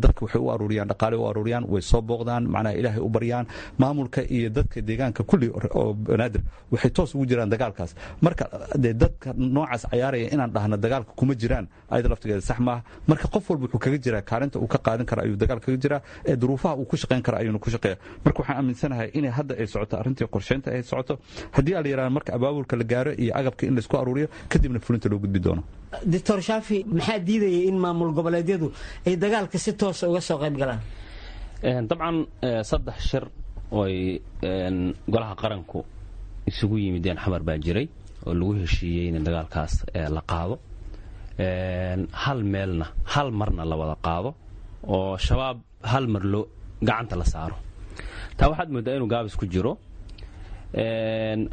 Dadka waxay u aruuriyaan dhaqaale, u aruuriyaan, way soo booqdaan, macnaha Ilaahay u baryaan. Maamulka iyo dadka deegaanka kulli oo Banaadir waxay toos ugu jiraan dagaalkaas. Marka dee dadka noocaas cayaaraya inaan dhahno dagaalka kuma jiraan, ayada laftigeeda sax maaha. Marka qof walba wuxuu kaga jiraa kaalinta uu ka qaadan kara ayuu dagaal kaga jiraa, ee duruufaha uu ku shaqayn kara ayuuna ku shaqeeya. Marka waxaan aaminsanahay inay hadda ay socoto arrintii qorsheynta ay socoto, haddii ala yidhahdo marka abaabulka la gaaro iyo agabka in laisku aruuriyo, kadibna fulinta loo gudbi doono. Doctor Shaafi, maxaa diidaya in maamul goboleedyadu ay dagaalka si toosa uga soo qayb galaan? Dabcan saddex shir ooy golaha qaranku isugu yimideen Xamar baa jiray oo lagu heshiiyey in dagaalkaas la qaado, hal meelna hal marna la wada qaado oo Shabaab hal mar loo gacanta la saaro. Taa waxaad mooddaa inuu gaabis ku jiro.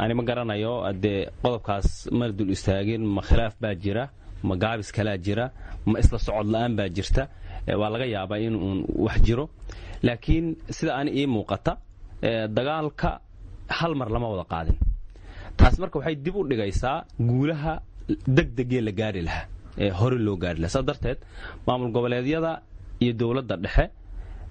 Ani ma garanayo dee qodobkaas mana dul istaagin. Ma khilaaf baa jira, ma gaabis kalaa jira, ma isla socod la'aan baa jirta? Waa laga yaabaa in uun wax jiro, laakiin sida ani ii muuqata Dagaalka hal mar lama wada qaadin. Taas marka waxay dib u dhigaysaa guulaha degdegee la gaari lahaa ee hore loo gaari lahaa. Saas darteed maamul goboleedyada iyo dowladda dhexe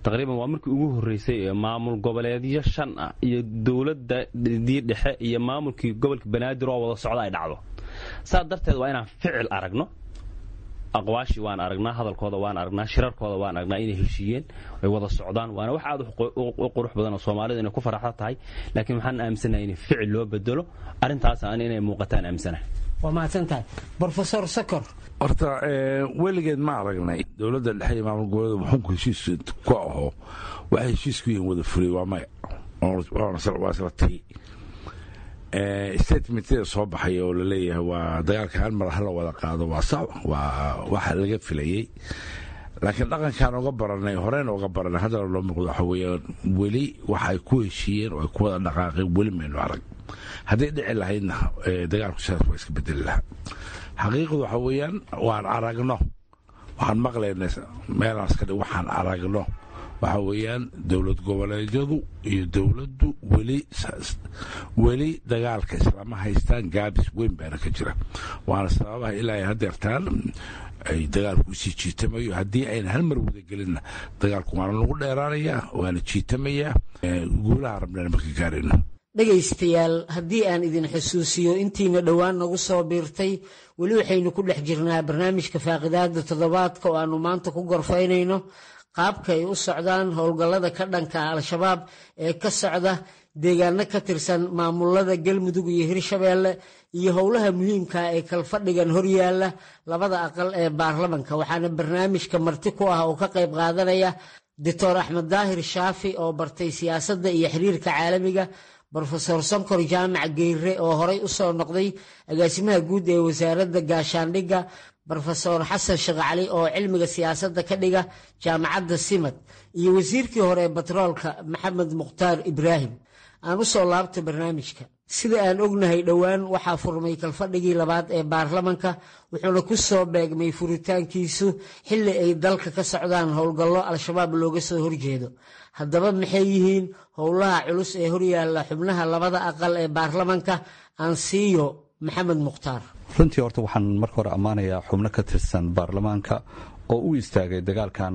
taqriiban waa markii ugu horreysay ee maamul goboleedyo shan ah iyo dowladadii dhexe iyo maamulkii gobolka Banaadir oo wada socda ay dhacdo. Saas darteed waa inaan ficil aragno. Aqwaashii waan aragnaa, hadalkooda waan aragnaa, shirarkooda waan aragnaa inay heshiiyeen, ay wada socdaan, waana wax aad u qurux badan oo Soomaalida inay ku faraxda tahay. Laakiin waxaan aaminsanahay in ficil loo bedelo arrintaas, aan inay muuqataan aaminsanahay. Waa mahadsan tahay, Brofesor Sokor. Horta weligeed ma aragnay dowladda dhexe iyo maamul goboleeda wuxuunku heshiis ku aho, waxay heshiis ku yihiin wada fulay? Waa maya, waa isla tii statementyada soo baxay oo laleeyahay waa dagaalka hal mar hala wada qaado. Waa sax, waa waxa laga filayey, laakiin dhaqankaan oga baranay, horeyna oga baranay, haddana loo muuqdo waxa weeyaan weli waxa ay ku heshiiyeen oo ay ku wada dhaqaaqeen weli maynu arag. Hadday dhici lahaydna dagaalku sidaas waa iska bedeli lahaa. Xaqiiqdu waxa weeyaan waan aragno, waxaan maqlaynay meelaan iska dhig, waxaan aragno waxa weeyaan dowlad goboleedyadu iyo dowladdu weli weli dagaalka islama haystaan. Gaabis weyn baana ka jira, waana sababaha ilaa ay hadeertaan ay dagaalku usii jiitamayo. Haddii ayna hal mar wadagelinna dagaalku waana lagu dheeraanayaa, waana jiitamayaa, guulaha rabnana marka gaarayno. Dhegaystayaal, haddii aan idin xusuusiyo intiina dhowaan nagu soo biirtay, weli waxaynu ku dhex jirnaa barnaamijka faaqidaada toddobaadka oo aanu maanta ku gorfaynayno qaabka ay u socdaan howlgallada ka dhanka ah Al-Shabaab ee ka socda deegaano ka tirsan maamulada Galmudug iyo Hirshabeelle iyo howlaha muhiimka ee kalfadhigan horyaala labada aqal ee baarlamanka. Waxaana barnaamijka marti ku ah oo ka qayb qaadanaya Doctor Axmed Daahir Shaafi oo bartay siyaasadda iyo xiriirka caalamiga, Brofesor Sonkor Jaamac Geyre oo horey u soo noqday agaasimaha guud ee wasaaradda gaashaandhigga, Brofesor Xasan Sheekh Cali oo cilmiga siyaasadda ka dhiga jaamacadda Simad, iyo wasiirkii hore ee batroolka Maxamed Mukhtaar Ibraahim. Aan u soo laabta barnaamijka. Sida aan ognahay, dhowaan waxaa furmay kalfadhigii labaad ee baarlamanka, wuxuuna ku soo beegmay furitaankiisu xilli ay dalka ka socdaan howlgallo Al-Shabaab looga soo horjeedo. Haddaba maxay yihiin howlaha culus ee horyaalla xubnaha labada aqal ee baarlamanka? Aan siiyo Maxamed Mukhtaar. Runtii horta waxaan marka hore ammaanayaa xubno ka tirsan baarlamaanka oo u istaagay dagaalkan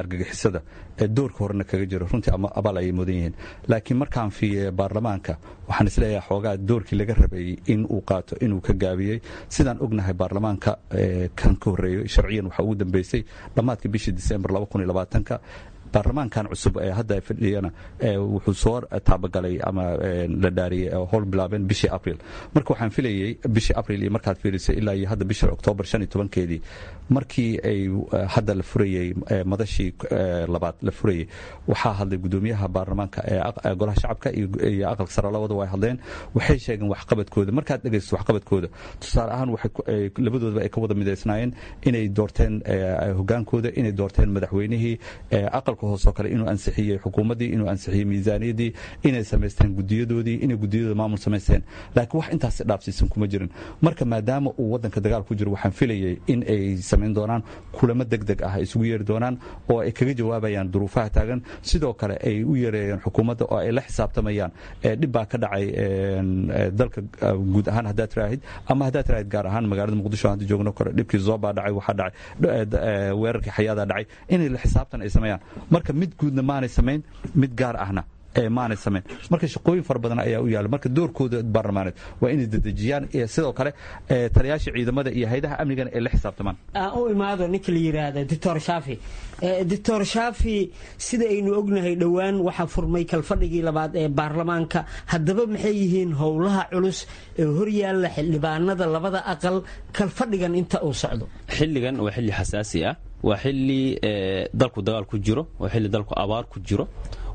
argagixisada ee doorka horena kaga jiro. Runtii abaal ayay mudan yihiin, laakiin markaan fiiye baarlamaanka waxaan isleeyahay xoogaa doorkii laga rabay in uu qaato inuu ka gaabiyey. Sidaan ognahay, baarlamaanka kan ka horreeyey sharciyan waxaa ugu dambeysay dhammaadka bishii Disembar ka. Baarlamaankan cusub ee hadda fadhiyana wuxuu soo taabagalay ama la dhaariyey howl bilaabeen bishii Abril. Marka waxaan filayey bishii Abril iyo markaad fiirisay ilaa iyo hadda bishii Oktoobar shan iyo tobankeedii, markii ay hadda la furayey madashii labaad la furayey, waxaa hadlay gudoomiyaha baarlamaanka ee golaha shacabka iyo aqalka sare. Labada way hadleen, waxay sheegeen waxqabadkooda. Markaad dhegaysto waxqabadkooda, tusaale ahaan, labadoodaba ay ka wada midaysnaayeen inay doorteen hogaankooda, inay doorteen madaxweynihii aqalka hoosoo kale, inuu ansixiyey xukuumaddii, inuu ansixiyey miisaaniyaddii, inay samaysteen gudiyadoodii, inay gudiyadooda maamul samaysteen, laakiin wax intaasi dhaafsiisan kuma jirin. Marka maadaama uu waddanka dagaal ku jiro, waxaan filayey in ay samayn doonaan kulamo deg deg ah, ay isugu yeeri doonaan oo ay kaga jawaabayaan duruufaha taagan, sidoo kale ay u yeereeyeen xukuumadda oo ay la xisaabtamayaan. Dhib baa ka dhacay dalka guud ahaan haddaad tiraahid, ama haddaad tiraahid gaar ahaan magaalada Muqdisho hadda joogno kore, dhibkii Zoobaa dhacay, waxaa dhacay weerarkii Xayaadaa dhacay, inay la xisaabtan ay sameeyaan. Marka mid guudna maanay samayn, mid gaar ahna maanay samayn. Marka shaqooyin fara badan ayaa u yaala. Marka doorkooda baarlamaaneed waa inay dedejiyaan, sidoo kale taliyaasha ciidamada iyo haydaha amnigana ay la xisaabtamaan. Aan u imaado ninka la yidhaahda Doctor Shaafi. Doctor Shaafi, sida aynu ognahay, dhowaan waxaa furmay kalfadhigii labaad ee baarlamaanka. Haddaba maxay yihiin howlaha culus ee horyaalla xildhibaanada labada aqal kalfadhigan inta uu socdo? Xilligan waa xilli xasaasi ah, waa xilli dalku dagaal ku jiro, waa xilli dalku abaar ku jiro,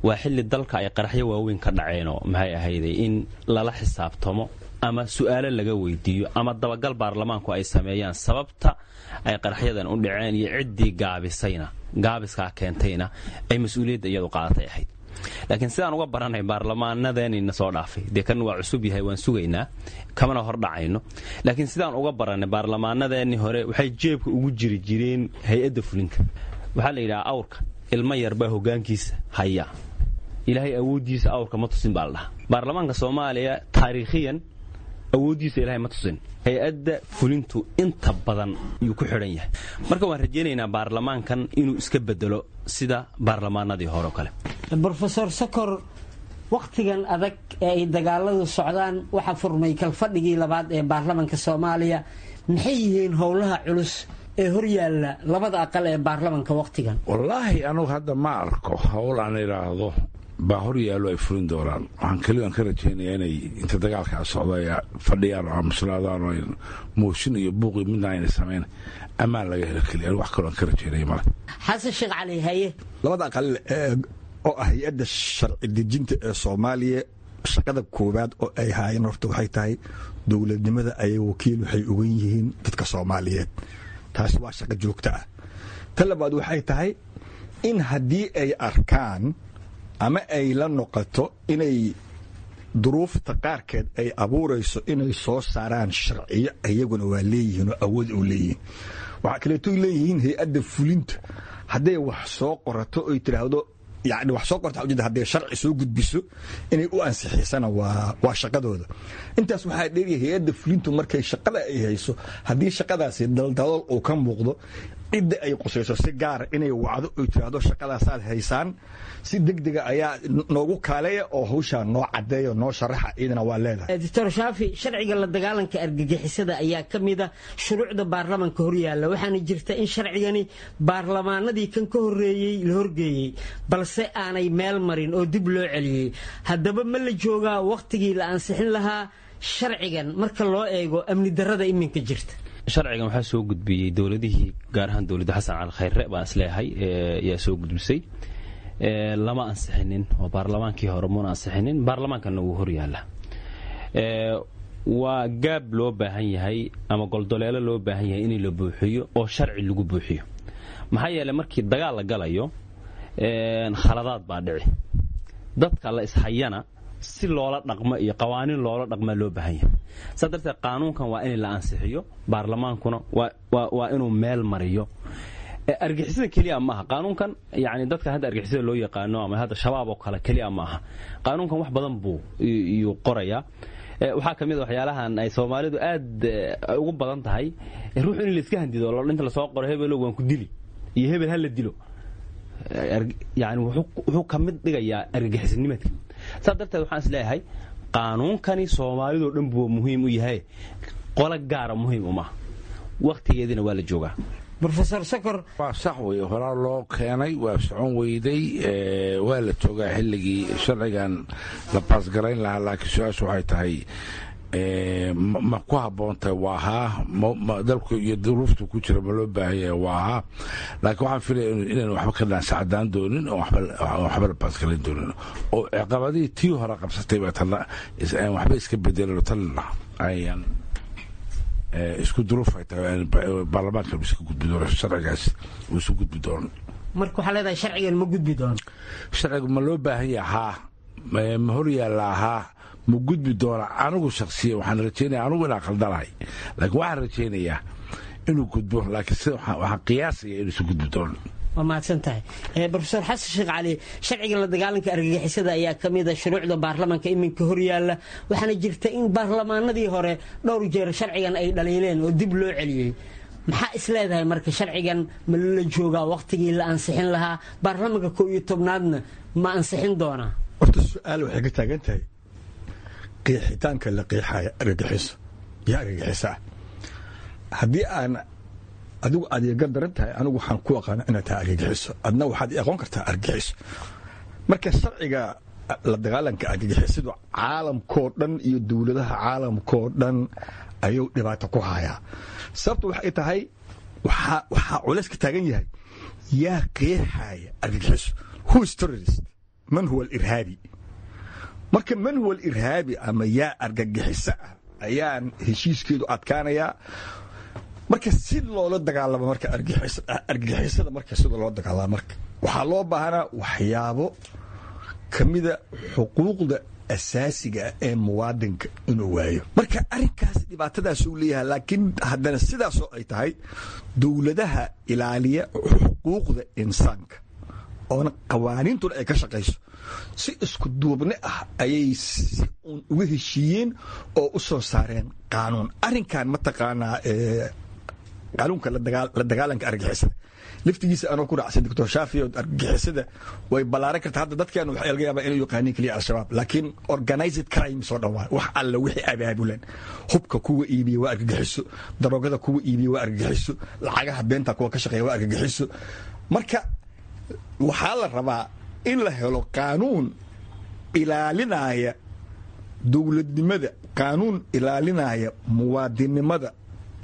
waa xilli dalka ay qaraxyo waaweyn ka dhaceenoo maxay ahayday in lala xisaabtamo ama su'aalo laga weydiiyo ama dabagal baarlamaanku ay sameeyaan sababta ay qaraxyadan u dhaceen iyo ciddii gaabisayna, gaabiskaa keentayna ay mas-uuliyadda iyadu qaadatay ahayd. Laakiin sidaan uga baranay baarlamaanadeenina soo dhaafay, dee kan waa cusub yahay, waan sugaynaa, kamana hor dhacayno, laakiin sidaan uga baranay baarlamaanadeennii hore waxay jeebka ugu jiri jireen hay-adda fulinta. Waxaa la yidhaha awrka ilmo yarbaa hoggaankiisa haya, Ilaahay awooddiisa awrka ma tusin baa la dhahaa. Baarlamaanka Soomaaliya taariikhiyan awooddiisa Ilaahay ma tusin. Hay-adda fulintu inta badan yuu ku xidhan yahay. Marka waan rajaynaynaa baarlamaankan inuu iska bedelo sida baarlamaanadii hore o kale. Brofesor Sokor, wakhtigan adag ee ay dagaaladu socdaan waxaa furmay kalfadhigii labaad ee baarlamanka Soomaaliya. Maxay yihiin howlaha culus ee horyaalla labada aqal ee baarlamanka wakhtigan? Wallaahi anugu hadda ma arko howl aan idhaahdo baa hor yaallo ay fulin doonaan. Waxaan keliyan ka rajaynayaa inay inta dagaalkaa socda ay fadhiyaan oo aamuslaadaan oo mooshin iyo buuqi midna ayna samayn, ammaan laga helo keliya. Wax kaloo aan ka rajaynaya male. Xasan Sheekh Cali, haye. Labada aqal oo ah hay-adda sharci dejinta ee Soomaaliya, shaqada koowaad oo ay haayeen horta waxay tahay dowladnimada ayay wakiil waxay ugan yihiin dadka Soomaaliyeed. Taasi waa shaqo joogto ah. Ta labaad waxay tahay in haddii ay arkaan ama ay la noqoto inay duruufta qaarkeed ay abuurayso inay soo saaraan sharciyo, iyaguna waa leeyihiin oo awood u leeyihiin. Waxaa kaleeto leeyihiin hay-adda fulinta hadday wax soo qorato oy tiraahdo, yani wax soo qorta ujeeda, hadday sharci soo gudbiso inay u ansixisana waa waa shaqadooda. Intaas waxaa dheeriya hay-adda fulintu markay shaqada ay hayso, haddii shaqadaasi daldalool uu ka muuqdo, cidda ay qusayso si gaara inay wacdo oy tiraahdo shaqadaasaad haysaan, si degdega ayaa noogu kaaleeya oo hawshaa noo caddeeya, noo sharaxa, iyadana waa leedahay. Doctor Shaafi, sharciga la dagaalanka argagixisada ayaa ka mid a shuruucda baarlamanka horyaalla, waxaana jirta in sharcigani baarlamaanadii kan ka horreeyey la horgeeyey balse aanay meel marin oo dib loo celiyey. Haddaba ma la joogaa wakhtigii la ansixin lahaa sharcigan marka loo eego amni darrada iminka jirta? Sharcigan waxaa soo gudbiyey dowladihii, gaar ahaan dowladda Xasan Cali Khayre baan isleeyahay ayaa soo gudbisay. Lama ansixinin oo baarlamaankii hore muna ansixinin, baarlamaankana wuu hor yaalla. Waa gaab loo baahan yahay ama goldoleelo loo baahan yahay in la buuxiyo oo sharci lagu buuxiyo, maxaa yeeley markii dagaal la galayo khaladaad baa dhici, dadka la ishayana si loola dhaqmo iyo qawaaniin loola dhaqmaa loo baahan yahay. Saa darteed qaanuunkan waa in la ansixiyo, baarlamaankuna waa inuu meel mariyo. Argixisada keliya maaha qaanuunkan, yani dadka hadda argixisada loo yaqaano ama hadda Shabaab oo kale keliya ma aha. Qaanuunkan wax badan buu iyuu qorayaa. Waxaa ka mid a waxyaalahan ay Soomaalidu aad ugu badan tahay ruux in laiska handido, inta lasoo qoro hebelow waan ku dili iyo hebel ha la dilo, yani wuxuu ka mid dhigayaa argagixisnimadka. Saa darteed waxaan is leeyahay qaanuunkani Soomaalidoo dhan buu muhiim u yahay, qolo gaara muhiim umaha, wakhtigeediina waa la joogaa. Brofesor Sokor, waa sax wey, horaa loo keenay, waa socon weyday. Waa la joogaa xilligii sharcigan la baasgarayn lahaa, laakiin su-aashu waxay tahay ma ku habboon tahay? Waa haa. Dalku iyo duruuftu ku jira ma loo baahan yahay? Waa haa. Laakiin waxaan filaya inaan waxba ka dhaansacadaan doonin oo waxba la baasgarayn doonin oo ciqabadihii tii hore qabsatay baa tana waxba iska bedelano, tanna ayaan isku duruuf ay tahay baarlamaanka iska gudbi doono sharcigaas, uu isu gudbi doono. Marka waxaa leedahay sharcigan ma gudbi doono? Sharcigu ma loo baahan yahay? Haa. Ma hor yaallaa? Haa. Ma gudbi doona? Anigu shaksiya waxaan rajaynaya anigu inaan khaldanahay, laakiin waxaan rajaynayaa inuu gudbo, laakiin sida waxaan qiyaasaya inuu isu gudbi doono. Waa mahadsan tahay, Brofesor Xasan Sheekh Cali. Sharciga la dagaalanka argagixisada ayaa ka mid a shuruucda baarlamanka iminka horyaalla, waxaana jirta in baarlamaanadii hore dhowr jeer sharcigan ay dhaliileen oo dib loo celiyey. Maxaa is leedahay marka, sharcigan ma la joogaa wakhtigii la ansixin lahaa? Baarlamanka koow iyo tobnaadna ma ansixin doonaa? Horta su-aal waxay ka taagan tahay qeexitaanka la qeexaya argagixiso. Yaa argagixisa ah? Haddii aan adigu aad iga daran tahay, anigu waxaan ku aqaana inaad tahay argagixiso, adna waxaad i aqoon kartaa argagixiso. Marka sharciga la dagaalanka argagixisadu caalamkoo dhan iyo dowladaha caalamkoo dhan ayuu dhibaato ku hayaa. Sababtu waxay tahay waxaa waxaa culays ka taagan yahay yaa qeexaya argagixiso, who is terrorist, man huwa alirhaabi. Marka man huwa alirhaabi ama yaa argagixiso ah ayaan heshiiskeedu adkaanayaa. Marka si loola dagaalamo marka argagixisada, marka sida loo dagaalamo, marka waxaa loo baahanaa waxyaabo ka mida xuquuqda asaasiga ah ee muwaadinka inuu waayo. Marka arrinkaas dhibaatadaasuu leeyahay, laakiin haddana sidaasoo ay tahay dowladaha ilaaliya xuquuqda insaanka oona qawaaniintuna ay ka shaqayso Si isku duubni ah ayay si uun uga heshiiyeen oo u soo saareen qaanuun. Arrinkan mataqaanaa qaanuunka la dagaalanka argagixisada laftigiisa anoo ku raacsan Doctor Shaafi, oo argagixisada way ballaaran karta. Hadda dadkeenu waxay laga yaabaa inay yaqaaniin keliya Al-Shabaab, laakiin organized crime soo dhawaa wax alla wixii abaabulan. Hubka kuwa iibiya waa argagixiso, daroogada kuwa iibiya waa argagixiso, lacagaha beenta kuwa ka shaqeeya waa argagixiso. Marka waxaa la rabaa in la helo qaanuun ilaalinaya dowladnimada, qaanuun ilaalinaya muwaadinimada,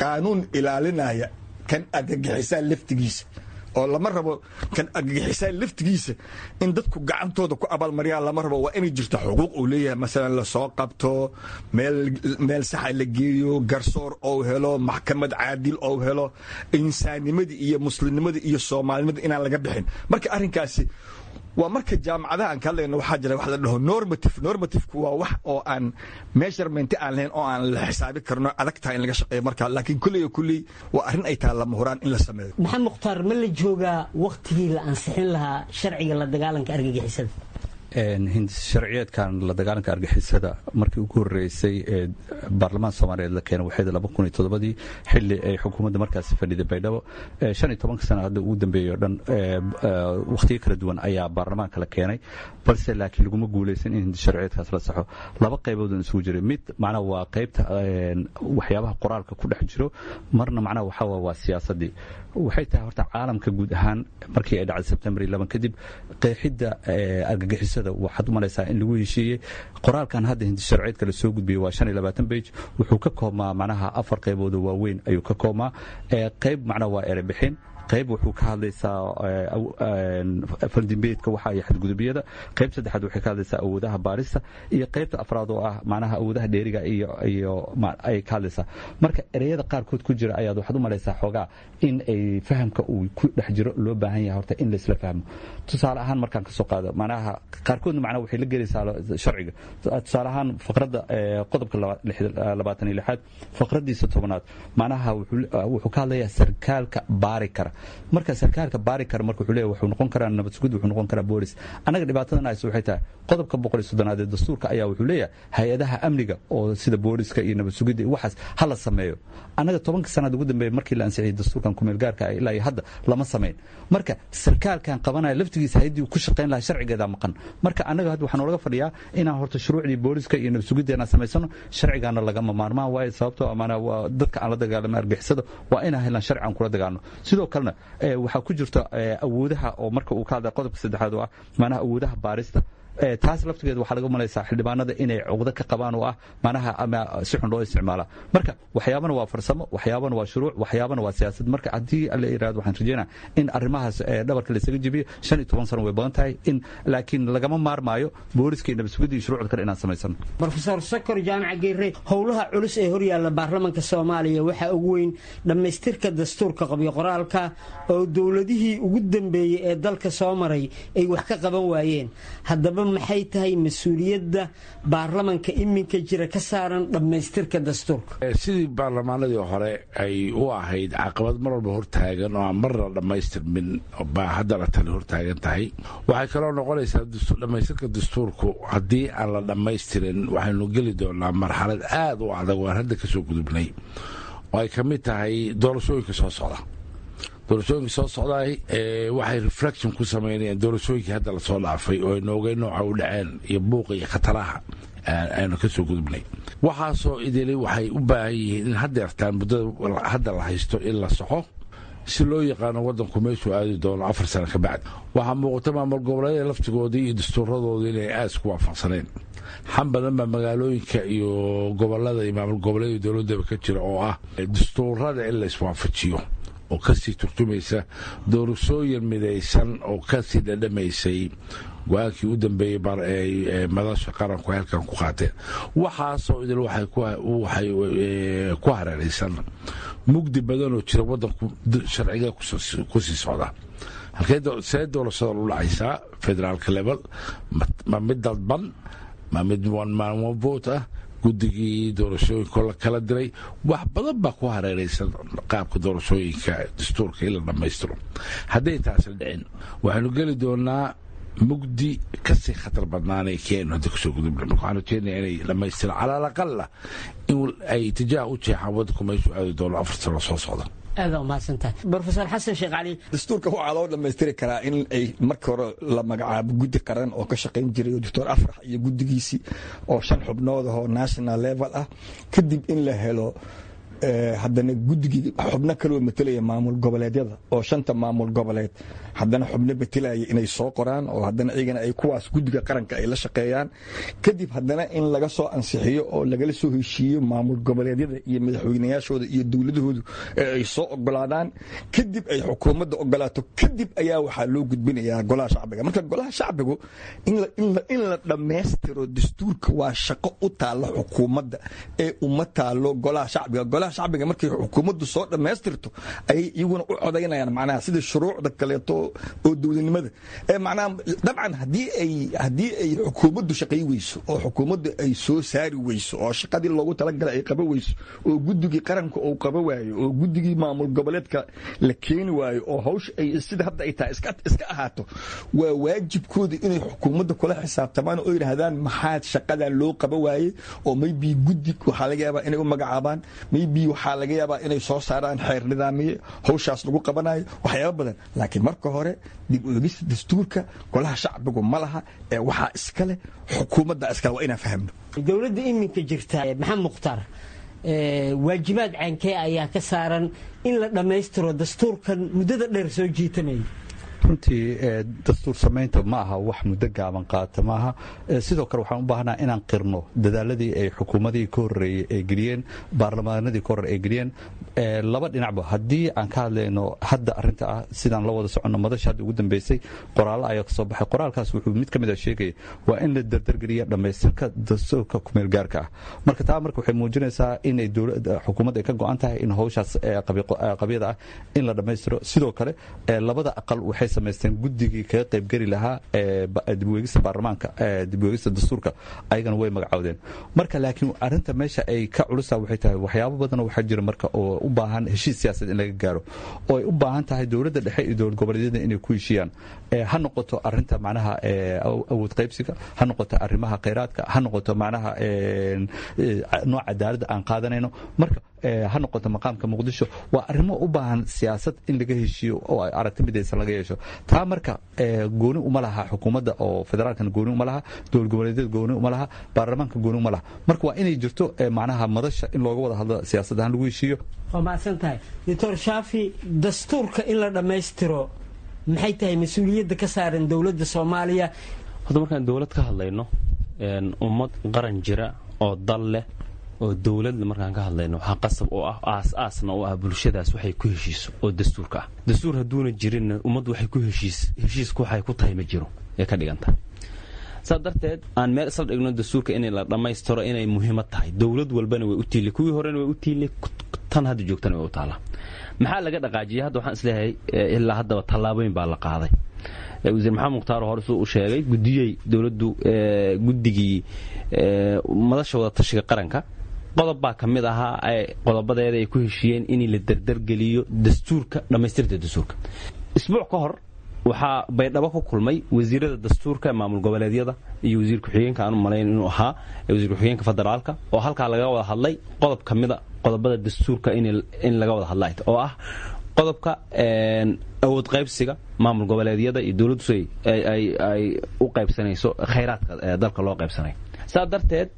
qaanuun ilaalinaya kan argagixisaa laftigiisa, oo lama rabo kan argagixisaa laftigiisa in dadku gacantooda ku abaalmariyaan. Lama rabo. Waa inay jirto xuquuq uu leeyahay, masalan lasoo qabto, meel meel saxa la geeyo, garsoor ou helo, maxkamad caadil ou helo, insaannimadii iyo muslimnimadii iyo soomaalinimada inaan laga bixin. Marka arrinkaasi waa marka jaamacadaha aan ka hadlayno, waxaa jira wax la dhaho normative. Normative-ku waa wax oo aan measurement aan lahayn oo aan la xisaabi karno, adag tahay in laga shaqeeyo marka, laakiin kulley kulley waa arrin ay tahay lama huraan in la sameeyo. Maxamed Mukhtaar, ma la joogaa wakhtigii la ansixin lahaa sharciga la dagaalanka argagixisada? Sharciyeedkan la dagaalanka argixisada markii ugu horeysay ee baarlamaanka Soomaaliyeed la keenay waxay laba kun iyo toddobadii, xilli ay xukuumadda markaasi fadhiday Baydhabo. Shan iyo tobanka sano hadda ugu dambeeyey oo dhan wakhtiyo kala duwan ayaa baarlamaanka la keenay, balse laakiin laguma guuleysan in sharciyeedkaas la saxo. Laba qaybood isugu jiray: mid macnaha waa qaybta waxyaabaha qoraalka ku dhex jiro, marna macnaha waxaa waa siyaasaddii. Waxay tahay horta caalamka guud ahaan markii ay dhacday Sebtembar toban kadib, qeexidda argagixisada waxaad u malaysaa in lagu heshiiyey. Qoraalkan hadda hindi sharciyeedka la soo gudbiyey waa shan iyo labaatan page. Wuxuu ka koobmaa macnaha afar qaybood oo waaweyn ayuu ka koobmaa. Qayb macnaha waa erebixin, qayb wuxuu ka hadlaysaa faldimbeedka waxa iyo xadgudubyada, qayb saddexaad waxay ka hadlaysaa awoodaha baarista, iyo qaybta afraad oo ah macnaha awoodaha dheeriga iyo iyo ay ka hadlaysaa. Marka ereyada qaarkood ku jira ayaad waxaad u malaysaa xoogaa in ay fahamka uu ku dhex jiro loo baahan yahay horta in laisla fahmo. Tusaale ahaan markaan kasoo qaado, macnaha qaarkoodna macnaha waxay la gelaysaa sharciga. Tusaale ahaan faqradda qodobka labaatan iyo lixaad faqraddiisa tobanaad macnaha wuxuu ka hadlayaa sarkaalka baari kara. Marka sarkaalka baari kara marka wuxuu leeyahay wuxuu noqon karaa nabad sugid, wuxuu noqon karaa boolis. Annaga dhibaatadan hayso waxay tahay qodobka boqol iyo soddonaad ee dastuurka ayaa wuxuu leeyahay hay-adaha amniga oo sida booliska iyo nabad sugidda iyo waxaas ha la sameeyo. Annaga tobanka sanaad ugu dambeeyay markii la ansixiyey dastuurkan kumeel gaarka ah ilaa iyo hadda lama samayn. Marka sarkaalkan qabanaya laftigiisa hay-addii ku shaqayn lahaa sharcigeedaa maqan. Marka annaga hadda waxaa noolaga fadhiyaa inaan horta shuruucdii booliska iyo nabad sugidda inaan samaysano. Sharcigaana lagama maarmaan waaye, sababtoo amaana waa dadka aan la dagaalama argixisada waa inaan helaan sharci aan kula dagaalno. Sidoo kalena waxaa ku jirta awoodaha oo marka uu ka hadlaya qodobka saddexaad oo ah macnaha awoodaha baarista, taas laftigeed waxaa laga malaysaa xildhibaanada inay cuqdo ka qabaan oo ah macnaha ama si xun loo isticmaala. Marka waxyaabana waa farsamo, waxyaabana waa shuruuc, waxyaabana waa siyaasad. Marka haddii la yidhahdo, waxaan rajeynaa in arrimahaas dhabarka la isaga jebiyo. Shan iyo toban sano way badan tahay in, laakiin lagama maarmaayo booliska iyo nabad sugidda iyo shuruucda kale inaan samaysano. Brofesor Sokor Jaamac Geere, howlaha culus ee horyaalla baarlamaanka Soomaaliya waxaa ugu weyn dhammaystirka dastuurka qabyo qoraalka oo dowladihii ugu dambeeyey ee dalka soo maray ay wax ka qaban waayeen. Haddaba maxay tahay mas-uuliyadda baarlamanka iminka jira ka saaran dhammaystirka dastuurka? Sidii baarlamaanadii hore ay u ahayd caqabad mar walba hortaagan oo aan marna dhammaystirmin baa haddana tani hortaagan tahay. Waxay kaloo noqonaysaa dhammaystirka dastuurku haddii aan la dhammaystirin waxaynu geli doonaa marxalad aad u adag oo aan hadda kasoo gudubnay, oo ay ka mid tahay doorashooyinka soo socda. Doorashooyinka soo socdaay waxay reflection ku samaynayaan doorashooyinkii hadda lasoo dhaafay oo ay noogay nooca u dhaceen iyo buuqa iyo khataraha aynu ka soo gudubnay. Waxaasoo idili waxay u baahan yihiin in haddeertaan muddada hadda la haysto in la soxo, si loo yaqaano waddanku meeshuu aadi doono afar sano ka bacdi. Waxaa muuqata maamul goboleedyada laftigoodii iyo dastuuradoodii inay aad isku waafaqsaneen. Xan badan baa magaalooyinka iyo gobolada iyo maamul goboleedyada dowladdaba ka jira oo ah dastuurada in la iswaafajiyo, oo kasii turjumaysa doorashooyin midaysan oo kasii dhadhamaysay go-aankii u dambeeyey madasha qaranku halkan ku qaateen. Waxaasoo idil waxay ku hareeraysan mugdi badanoo jira. Waddanku sharciga kusii socda halkee, see doorashada lu dhacaysaa federaalka level? Ma mid dadban, ma mid one man one vote ah? Guddigii doorashooyinko la kala diray, wax badan baa ku hareeraysan qaabka doorashooyinka dastuurka in la dhammaystiro. Hadday taasi dhicin waxaynu geli doonaa Mugdi kasii khatar badnaanay keenu hadda kusoo gudubna. Marka waxaan rajeynaya inay dhamaystiraan, cala alaqala in ay itijaah u jeexaan waddanku meeshuu aadi doono afar sano soo socda. Aada umahadsantahay, Brofesor Xasan Sheekh Cali. Dastuurka waxaa loo dhammaystiri karaa in ay marka hore la magacaabo guddi qaran oo ka shaqayn jiray, Doctor Afrax iyo guddigiisii oo shan xubnood ahoo national level ah. Kadib in la helo haddana guddigii xubno kaloo matelaya maamul goboleedyada, oo shanta maamul goboleed haddana xubno matelaya inay soo qoraan, oo haddana iyagana ay kuwaas guddiga qaranka ay la shaqeeyaan. Kadib haddana in laga soo ansixiyo oo lagala soo heshiiyo maamul goboleedyada iyo madaxweynayaashooda iyo dowladahoodu ee ay soo ogolaadaan. Kadib ay xukuumadda ogolaato. Kadib ayaa waxaa loo gudbinayaa golaha shacbiga. Marka golaha shacbigu in la dhammaystiro dastuurka waa shaqo u taalla xukuumadda ee uma taalo golaha shacbiga. Golaha shacbiga markay xukuumaddu soo dhammaystirto ayay iyaguna u codaynayaan, macnaha sida shuruucda kaleeto oo dowladnimada ee macnaha. Dabcan haddii ay haddii ay xukuumaddu shaqay weyso oo xukuumaddu ay soo saari weyso oo shaqadii loogu talagalay ay qaba weyso oo guddigii qaranka uu qaba waayo oo guddigii maamul goboleedka la keeni waayo oo hawsha ay sida hadda ay tahay iska iska ahaato, waa waajibkooda inay xukuumadda kula xisaabtamaan oo yidhaahdaan maxaad shaqadan loo qaba waayey, oo maybe guddi waxaa laga yaabaa inay u magacaabaan, maybe waxaa laga yaabaa inay soo saaraan xeer nidaamiye hawshaas lagu qabanayo, waxyaaba badan. Laakiin marka hore dib u eegista dastuurka golaha shacbigu ma laha ee waxaa iska leh xukuumadda iskale, waa inaan fahamno. Dowladda iminka jirta, Maxamed Mukhtaar, waajibaad caankee ayaa ka saaran in la dhammaystiro dastuurkan muddada dheer soo jiitamaya? Runtii dastuur samaynta ma aha wax muddo gaaban qaata maaha. Sidoo kale waxaan u baahnaa inaan qirno dadaaladii ay xukuumadihii ka horreeyey ay geliyeen, baarlamaanadii ka horreey ay geliyeen laba dhinacba. Haddii aan ka hadlayno hadda arrinta ah, sidaan la wada soconno, madasha hadda ugu dambeysay qoraallo ayaa kasoo baxay. Qoraalkaas wuxuu mid ka mid a sheegaya waa in la dardargeliya dhammaystirka dastuurka kumeel gaarka ah. Marka taa marka waxay muujinaysaa inay xukuumadda ay ka go'an tahay in howshaas qabyada ah in la dhammaystiro. Sidoo kale labada aqal waxay samaysteen guddigii kaga qaybgeli lahaa dibweegista baarlamaanka, dibweegista dastuurka, ayagana way magacowdeen. Marka laakiin arrinta meesha ay ka culusaa waxay tahay waxyaabo badan waxaa jira marka oo u baahan heshiis siyaasadeed in laga gaaro, oo ay u baahan tahay dowladda dhexe iyo dowlad goboleedyada inay ku heshiiyaan, ha noqoto arrinta macnaha awood qaybsiga, ha noqoto arrimaha khayraadka, ha noqoto macnaha nooc cadaaladda aan qaadanayno, marka ha noqoto maqaamka Muqdisho. Waa arrimo u baahan siyaasad in laga heshiiyo oo aragti midaysan laga yeesho. Taa marka gooni uma laha xukuumadda oo federaalkana gooni uma laha, dowlad goboleedyada gooni uma laha, baarlamaanka gooni uma laha. Marka waa inay jirto macnaha madasha in looga wada hadlo, siyaasad ahaan lagu heshiiyo. Waa mahadsan tahay, Doctor Shaafi. Dastuurka in la dhammaystiro maxay tahay mas-uuliyadda ka saaran dowladda Soomaaliya? Horta markaan dowlad ka hadlayno, ummad qaran jira oo dal leh oo dowladla markaan ka hadlayno, waxaa qasab oo ah, aas-aasna u ah, bulshadaas waxay ku heshiiso oo dastuurka ah. Dastuur hadduuna jirinna ummaddu waxay ku heshiis heshiisku waxay ku tahay ma jiro ee ka dhigan tahay. Saa darteed aan meel isla dhigno dastuurka inay la dhammaystiro inay muhiimad tahay. Dowlad walbana way u tiili, kuwii horena way u tiili, tan hadda joogtana way u taallaa. Maxaa laga dhaqaajiyay hadda? Waxaan isleeyahay ilaa haddaba tallaabooyin baa la qaaday. Wasiir Maxamed Mukhtaar hore suu u sheegay, guddiyey dowladdu, guddigii madasha wada tashiga qaranka, qodob baa ka mid ahaa qodobadeeda ay ku heshiiyeen in la dardargeliyo dastuurka, dhammaystirta dastuurka. Isbuuc ka hor waxaa Baydhabo ku kulmay wasiirada dastuurka maamul goboleedyada iyo wasiir ku-xigeenka, aan u malayn inuu ahaa wasiir ku-xigeenka federaalka, oo halkaa laga wada hadlay qodob ka mida qodobada dastuurka in laga wada hadlay, oo ah qodobka awood qaybsiga maamul goboleedyada iyo dowladdu ay u qaybsanayso khayraadka dalka loo qaybsanayo. Saa darteed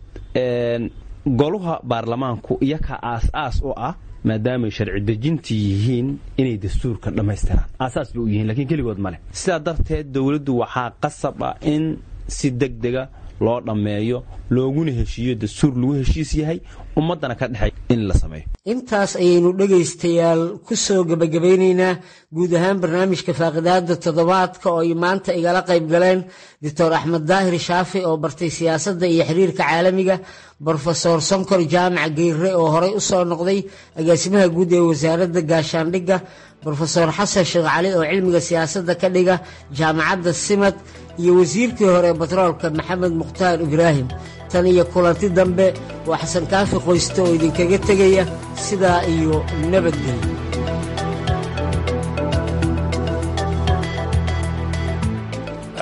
goluha baarlamaanku iyakaa aas-aas u ah, maadaamay sharci dejintii yihiin, inay dastuurka dhammaystiraan aasaas bay u yihiin, lakiin keligood ma leh. Sidaa darteed dowladdu waxaa qasab ah in si degdega loo dhammeeyo, looguna heshiiyo dastuur lagu heshiis yahay, ummaddana ka dhexay in la sameeyo. Intaas ayaynu dhegaystayaal ku soo gebagabeynaynaa guud ahaan barnaamijka faaqidaada toddobaadka, oo ay maanta igala qayb galeen Doctor Axmed Daahir Shaafi oo bartay siyaasadda iyo xiriirka caalamiga, Brofesor Sonkor Jaamac Geyrre oo horey u soo noqday agaasimaha guud ee wasaaradda gaashaandhigga, Brofesor Xasan Sheekh Cali oo cilmiga siyaasadda ka dhiga jaamacadda Simad, iyo wasiirkii hore batroolka Maxamed Mukhtaar Ibraahim. Tan iyo kulanti dambe, waa Xasan Kaafi Qoyste oo idinkaga tegaya sidaa iyo nabadgelyo.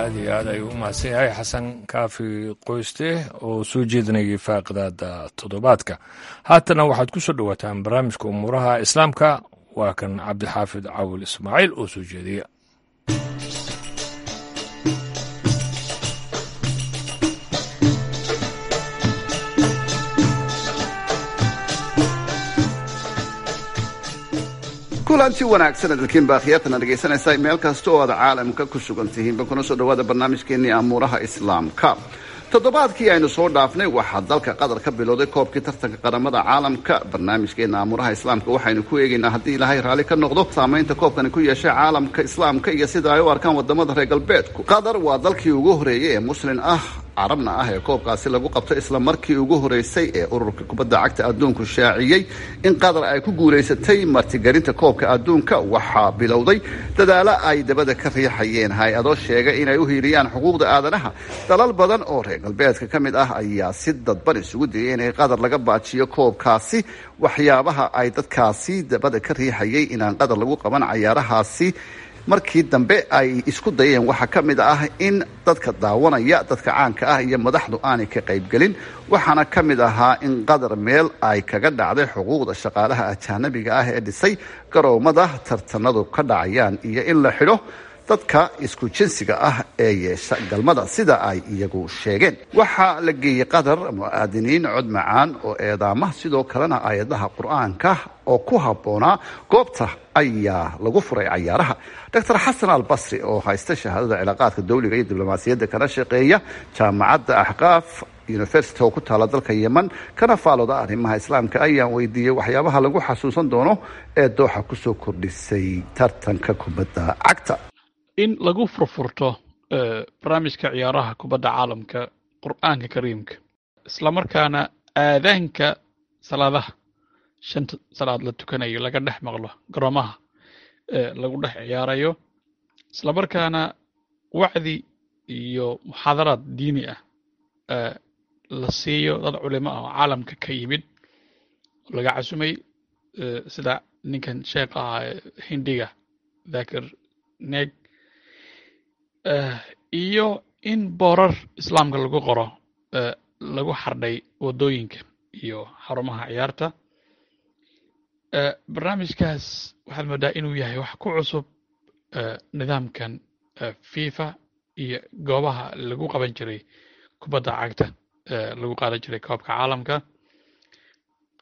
Aad Aad iyo aad ayuu u mahadsan yahay Xasan Kaafi Qoyste oo soo jeedinayay faaqidaada toddobaadka. Haatana waxaad ku soo dhowaataan barnaamijka umuuraha islaamka. Waa kan Cabdixaafid Cawil Ismaaciil oo soo jeediya. Kulanti wanaagsan adalkiin baakhiyatana dhegaysanaysaa meel kasta oo aad caalamka ku sugan tihiinba, kuna soo dhawaada barnaamijkeenii amuuraha islaamka. Toddobaadkii aynu soo dhaafnay waxaa dalka Qatar ka bilowday koobkii tartanka qaramada caalamka. Barnaamijkeena amuuraha islaamka waxaynu ku eegaynaa, haddii Ilaahay raalli ka noqdo, saamaynta koobkani ku yeeshay caalamka islaamka iyo sida ay u arkaan wadamada reer galbeedku. Qatar waa dalkii ugu horeeyey ee muslin ah, carabna ah, ee koobkaasi lagu qabto. Isla markii ugu horeysay ee ururka kubadda cagta adduunku shaaciyey in Qatar ay ku guulaysatay martigelinta koobka adduunka, waxaa bilowday dadaalo ay dabada ka riixayeen hay-ado sheegay inay u hiiliyaan xuquuqda aadanaha. Dalal badan oo reer galbeedka ka mid ah ayaa si dadban isugu dayay inay Qatar laga baajiyo koobkaasi. Waxyaabaha ay dadkaasi dabada ka riixayay inaan Qatar lagu qaban cayaarahaasi markii dambe ay isku dayeen waxaa ka mid ah in dadka daawanaya, dadka caanka ah iyo madaxdu aanay ka qaybgelin. Waxaana ka mid ahaa in Qatar meel ay kaga dhacday xuquuqda shaqaalaha ajaanabiga ah ee dhisay garoomada tartanadu ka dhacayaan, iyo in la xidho dadka isku jinsiga ah ee yeesha galmada, sida ay iyagu sheegeen. Waxaa la geeyey Qatar mu'aadiniin cod macaan oo eedaama, sidoo kalena aayadaha Qur-aanka oo ku habboonaa goobta ayaa lagu furay cayaaraha. Doctor Xasan Albasri oo haysta shahaadada cilaaqaadka dowliga iyo diblomaasiyadda, kana shaqeeya jaamacadda Axqaaf University oo ku taala dalka Yemen, kana faalooda arrimaha islaamka, ayaan weydiiyey waxyaabaha lagu xasuusan doono ee Dooxa kusoo kordhisay tartanka kubadda cagta. In lagu furfurto barnaamijka ciyaaraha kubadda caalamka Qur'aanka Kariimka, islamarkaana aadaanka salaadaha shanta salaad la tukanayo laga dhex maqlo garoomaha lagu dhex ciyaarayo, islamarkaana wacdi iyo muxaadaraad diini ah la siiyo dad culimo ah oo caalamka ka yimid laga casumay, sida ninkan sheekh ah Hindiga Dakir Neg, iyo in boorar islaamka lagu qoro lagu xardhay waddooyinka iyo xarumaha ciyaarta. Barnaamijkaas waxaad moodaa inuu yahay wax ku cusub nidaamkan FIFA iyo goobaha lagu qaban jiray kubadda cagta, lagu qaadan jiray koobka caalamka.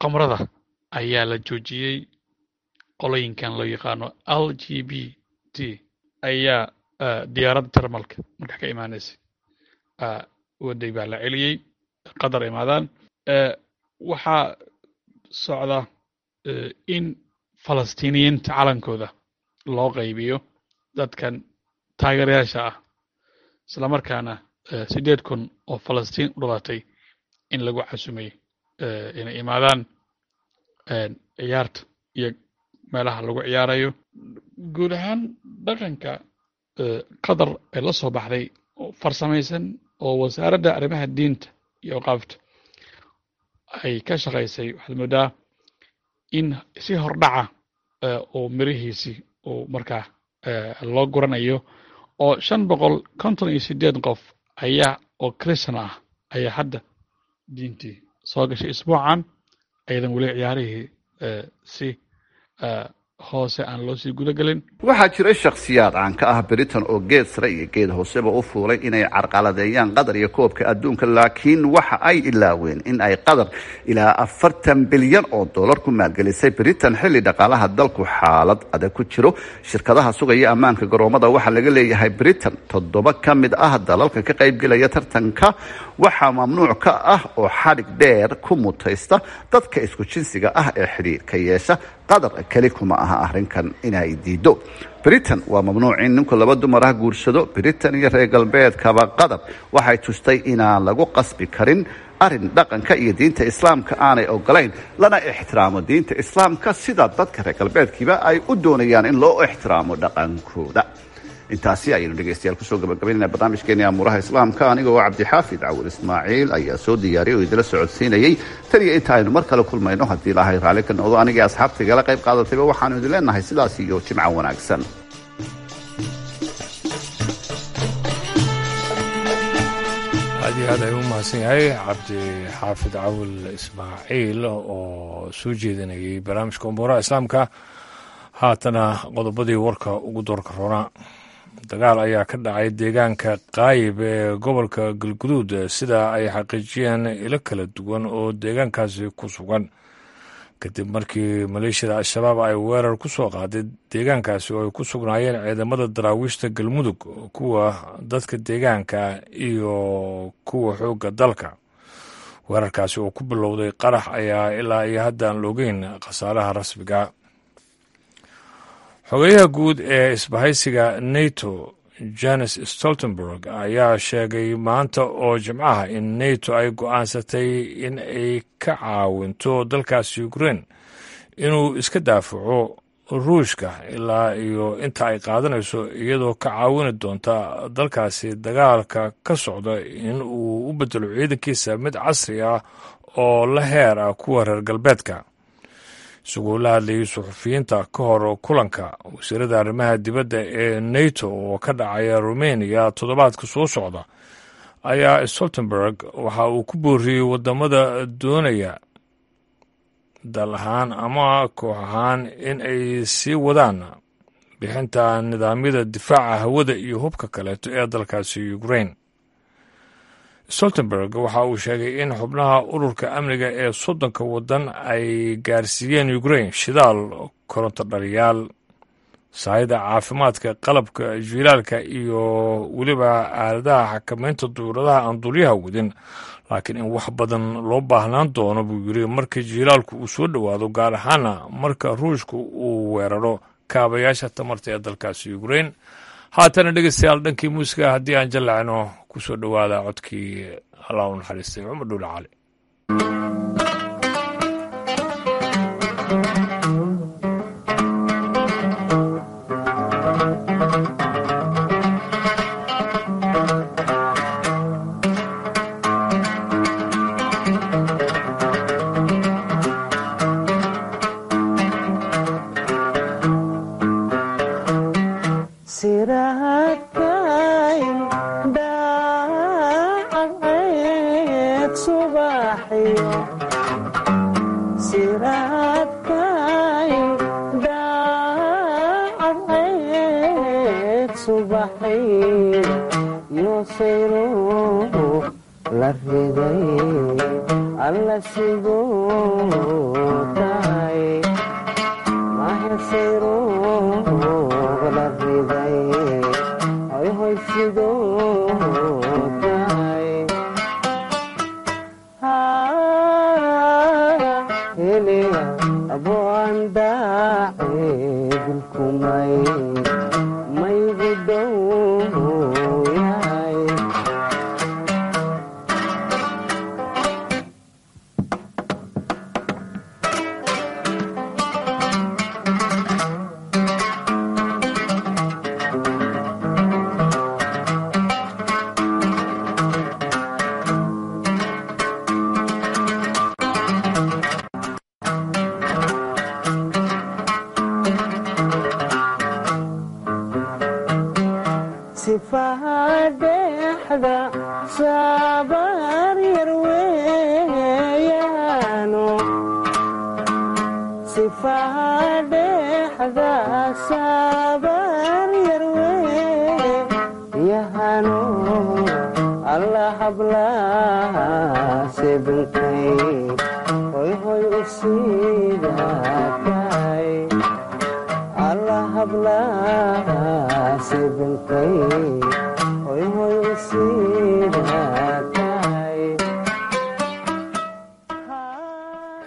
Qamrada ayaa la joojiyey. Qolooyinkan loo yaqaano L G B T ayaa diyaaradda Jarmalka markaa ka imaanaysay waday baa la celiyey Qatar imaadaan. Waxaa socda in Falastiiniyiinta calankooda loo qaybiyo dadkan taageerayaasha ah, islamarkaana siddeed kun oo Falastiin u dhalatay in lagu casumay inay imaadaan ciyaarta iyo meelaha lagu ciyaarayo. Guud ahaan dhaqanka Qatar ee la soo baxday oo farsamaysan oo wasaaradda arrimaha diinta iyo awqaafta ay ka shaqaysay, waxaad moodaa in si hordhaca oo mirihiisii uu markaa loo guranayo, oo shan boqol konton iyo sideed qof ayaa oo Christian ah ayaa hadda diintii soo gashay isbuucan, ayadan weli ciyaarihii si hoose aan loo sii guda gelin. Waxaa jiray shakhsiyaad caan ka ah Britain oo geed sare iyo geed hooseba u fuulay inay carqaladeeyaan Qatar iyo koobka adduunka, laakiin waxa ay ilaaween in ay Qatar ilaa afartan bilyan oo dollar ku maalgelisay Britain xilli dhaqaalaha dalku xaalad adag ku jiro. Shirkadaha sugaya ammaanka garoomada waxaa laga leeyahay Britain. Toddoba ka mid ah dalalka ka qaybgelaya tartanka waxaa mamnuuc ka ah oo xadhig dheer ku mutaysta dadka isku jinsiga ah ee xidhiirka yeesha. Qatar keli kuma aha arrinkan inay diido. Britain waa mamnuuc in ninku laba dumar ah guursado. Britain iyo reer galbeedkaba Qatar waxay tustay inaan lagu qasbi karin arrin dhaqanka iyo diinta islaamka aanay ogolayn, lana ixtiraamo diinta islaamka sida dadka reer galbeedkiiba ay u doonayaan in loo ixtiraamo dhaqankooda. Intaasi ayaynu dhegeystayaal kusoo gabagabaynayna barnaamijkeeni amuuraha islaamka. Anigoo Cabdixaafid Cawil Ismaaciil ayaa soo diyaariyay oo idila socodsiinayey. Tan iyo inta aynu mar kale kulmayno, haddii Ilaahay raalli ka noqdo, anigii asxaabta igala qayb qaadatayba waxaanu idin leenahay sidaas iyo jimco wanaagsan. Aad iyo aad ayuu u mahadsan yahay Cabdi Xaafid Cawil Ismaaciil oo soo jeedinayay barnaamijka umuuraha islaamka. Haatana qodobadii warka ugu doorka roonaa. Dagaal ayaa ka dhacay deegaanka Qaayib ee gobolka Galguduud, sida ay xaqiijiyeen ilo kala duwan oo deegaankaasi ku sugan, kadib markii maleeshiyada Al-Shabaab ay weerar ku soo qaaday deegaankaasi oo ay ku sugnaayeen ciidamada daraawiishta Galmudug, kuwa dadka deegaanka iyo kuwa xoogga dalka. Weerarkaasi oo ku bilowday qarax ayaa ilaa iyo hadda aan loogeyn khasaaraha rasmiga. Xogeyaha guud ee isbahaysiga NATO, Jens Stoltenberg, ayaa sheegay maanta oo Jimcaha in NATO ay go'aansatay in ay ka caawinto dalkaasi Ukraine inuu iska daafaco Ruushka ilaa iyo inta ay qaadanayso, iyadoo ka caawini doonta dalkaasi dagaalka ka socda in uu u bedelo ciidankiisa mid casri ah oo la heer ah kuwa reer galbeedka. Isagoo la hadlayay suxufiyiinta ka hor kulanka wasiirada arrimaha dibadda ee NATO oo ka dhacaya Rumeniya toddobaadka soo socda, ayaa Stoltenberg waxa uu ku booriyey wadamada doonaya dal ahaan ama koox ahaan in ay sii wadaan bixinta nidaamyada difaaca hawada iyo hubka kaleeto ee dalkaasi Ukraine. Stoltenberg waxa uu sheegay in xubnaha ururka amniga ee soddonka waddan ay gaarsiiyeen Ukraine shidaal, koronto dhaliyaal, sahayda caafimaadka, qalabka jiilaalka iyo weliba aaladaha xakameynta duuradaha aan duulyaha wadin, laakiin in wax badan loo baahnaan doono buu yiri marka jiilaalku uu soo dhowaado, gaar ahaana marka Ruushku uu weeraro kaabayaasha tamarta ee dalkaasi Ukraine. Haatana dhegeystayaal, dhankii muusiga haddii aan jallacno, ku soo dhowaada codkii Allah u naxariistay Cumar Dhuule Cali.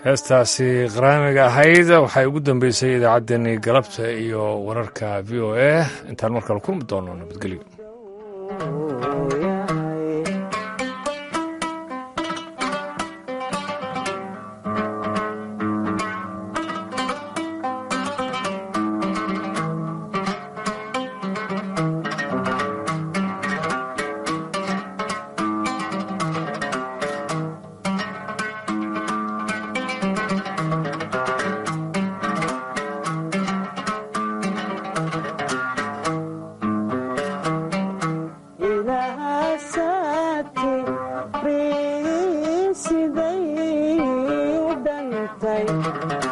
Heestaasi qaraamiga ahayd waxay ugu dambeysay idaacaddeenii galabta iyo wararka V O A. Intaan markale kulmi doono, nabadgelyo. Xuseen.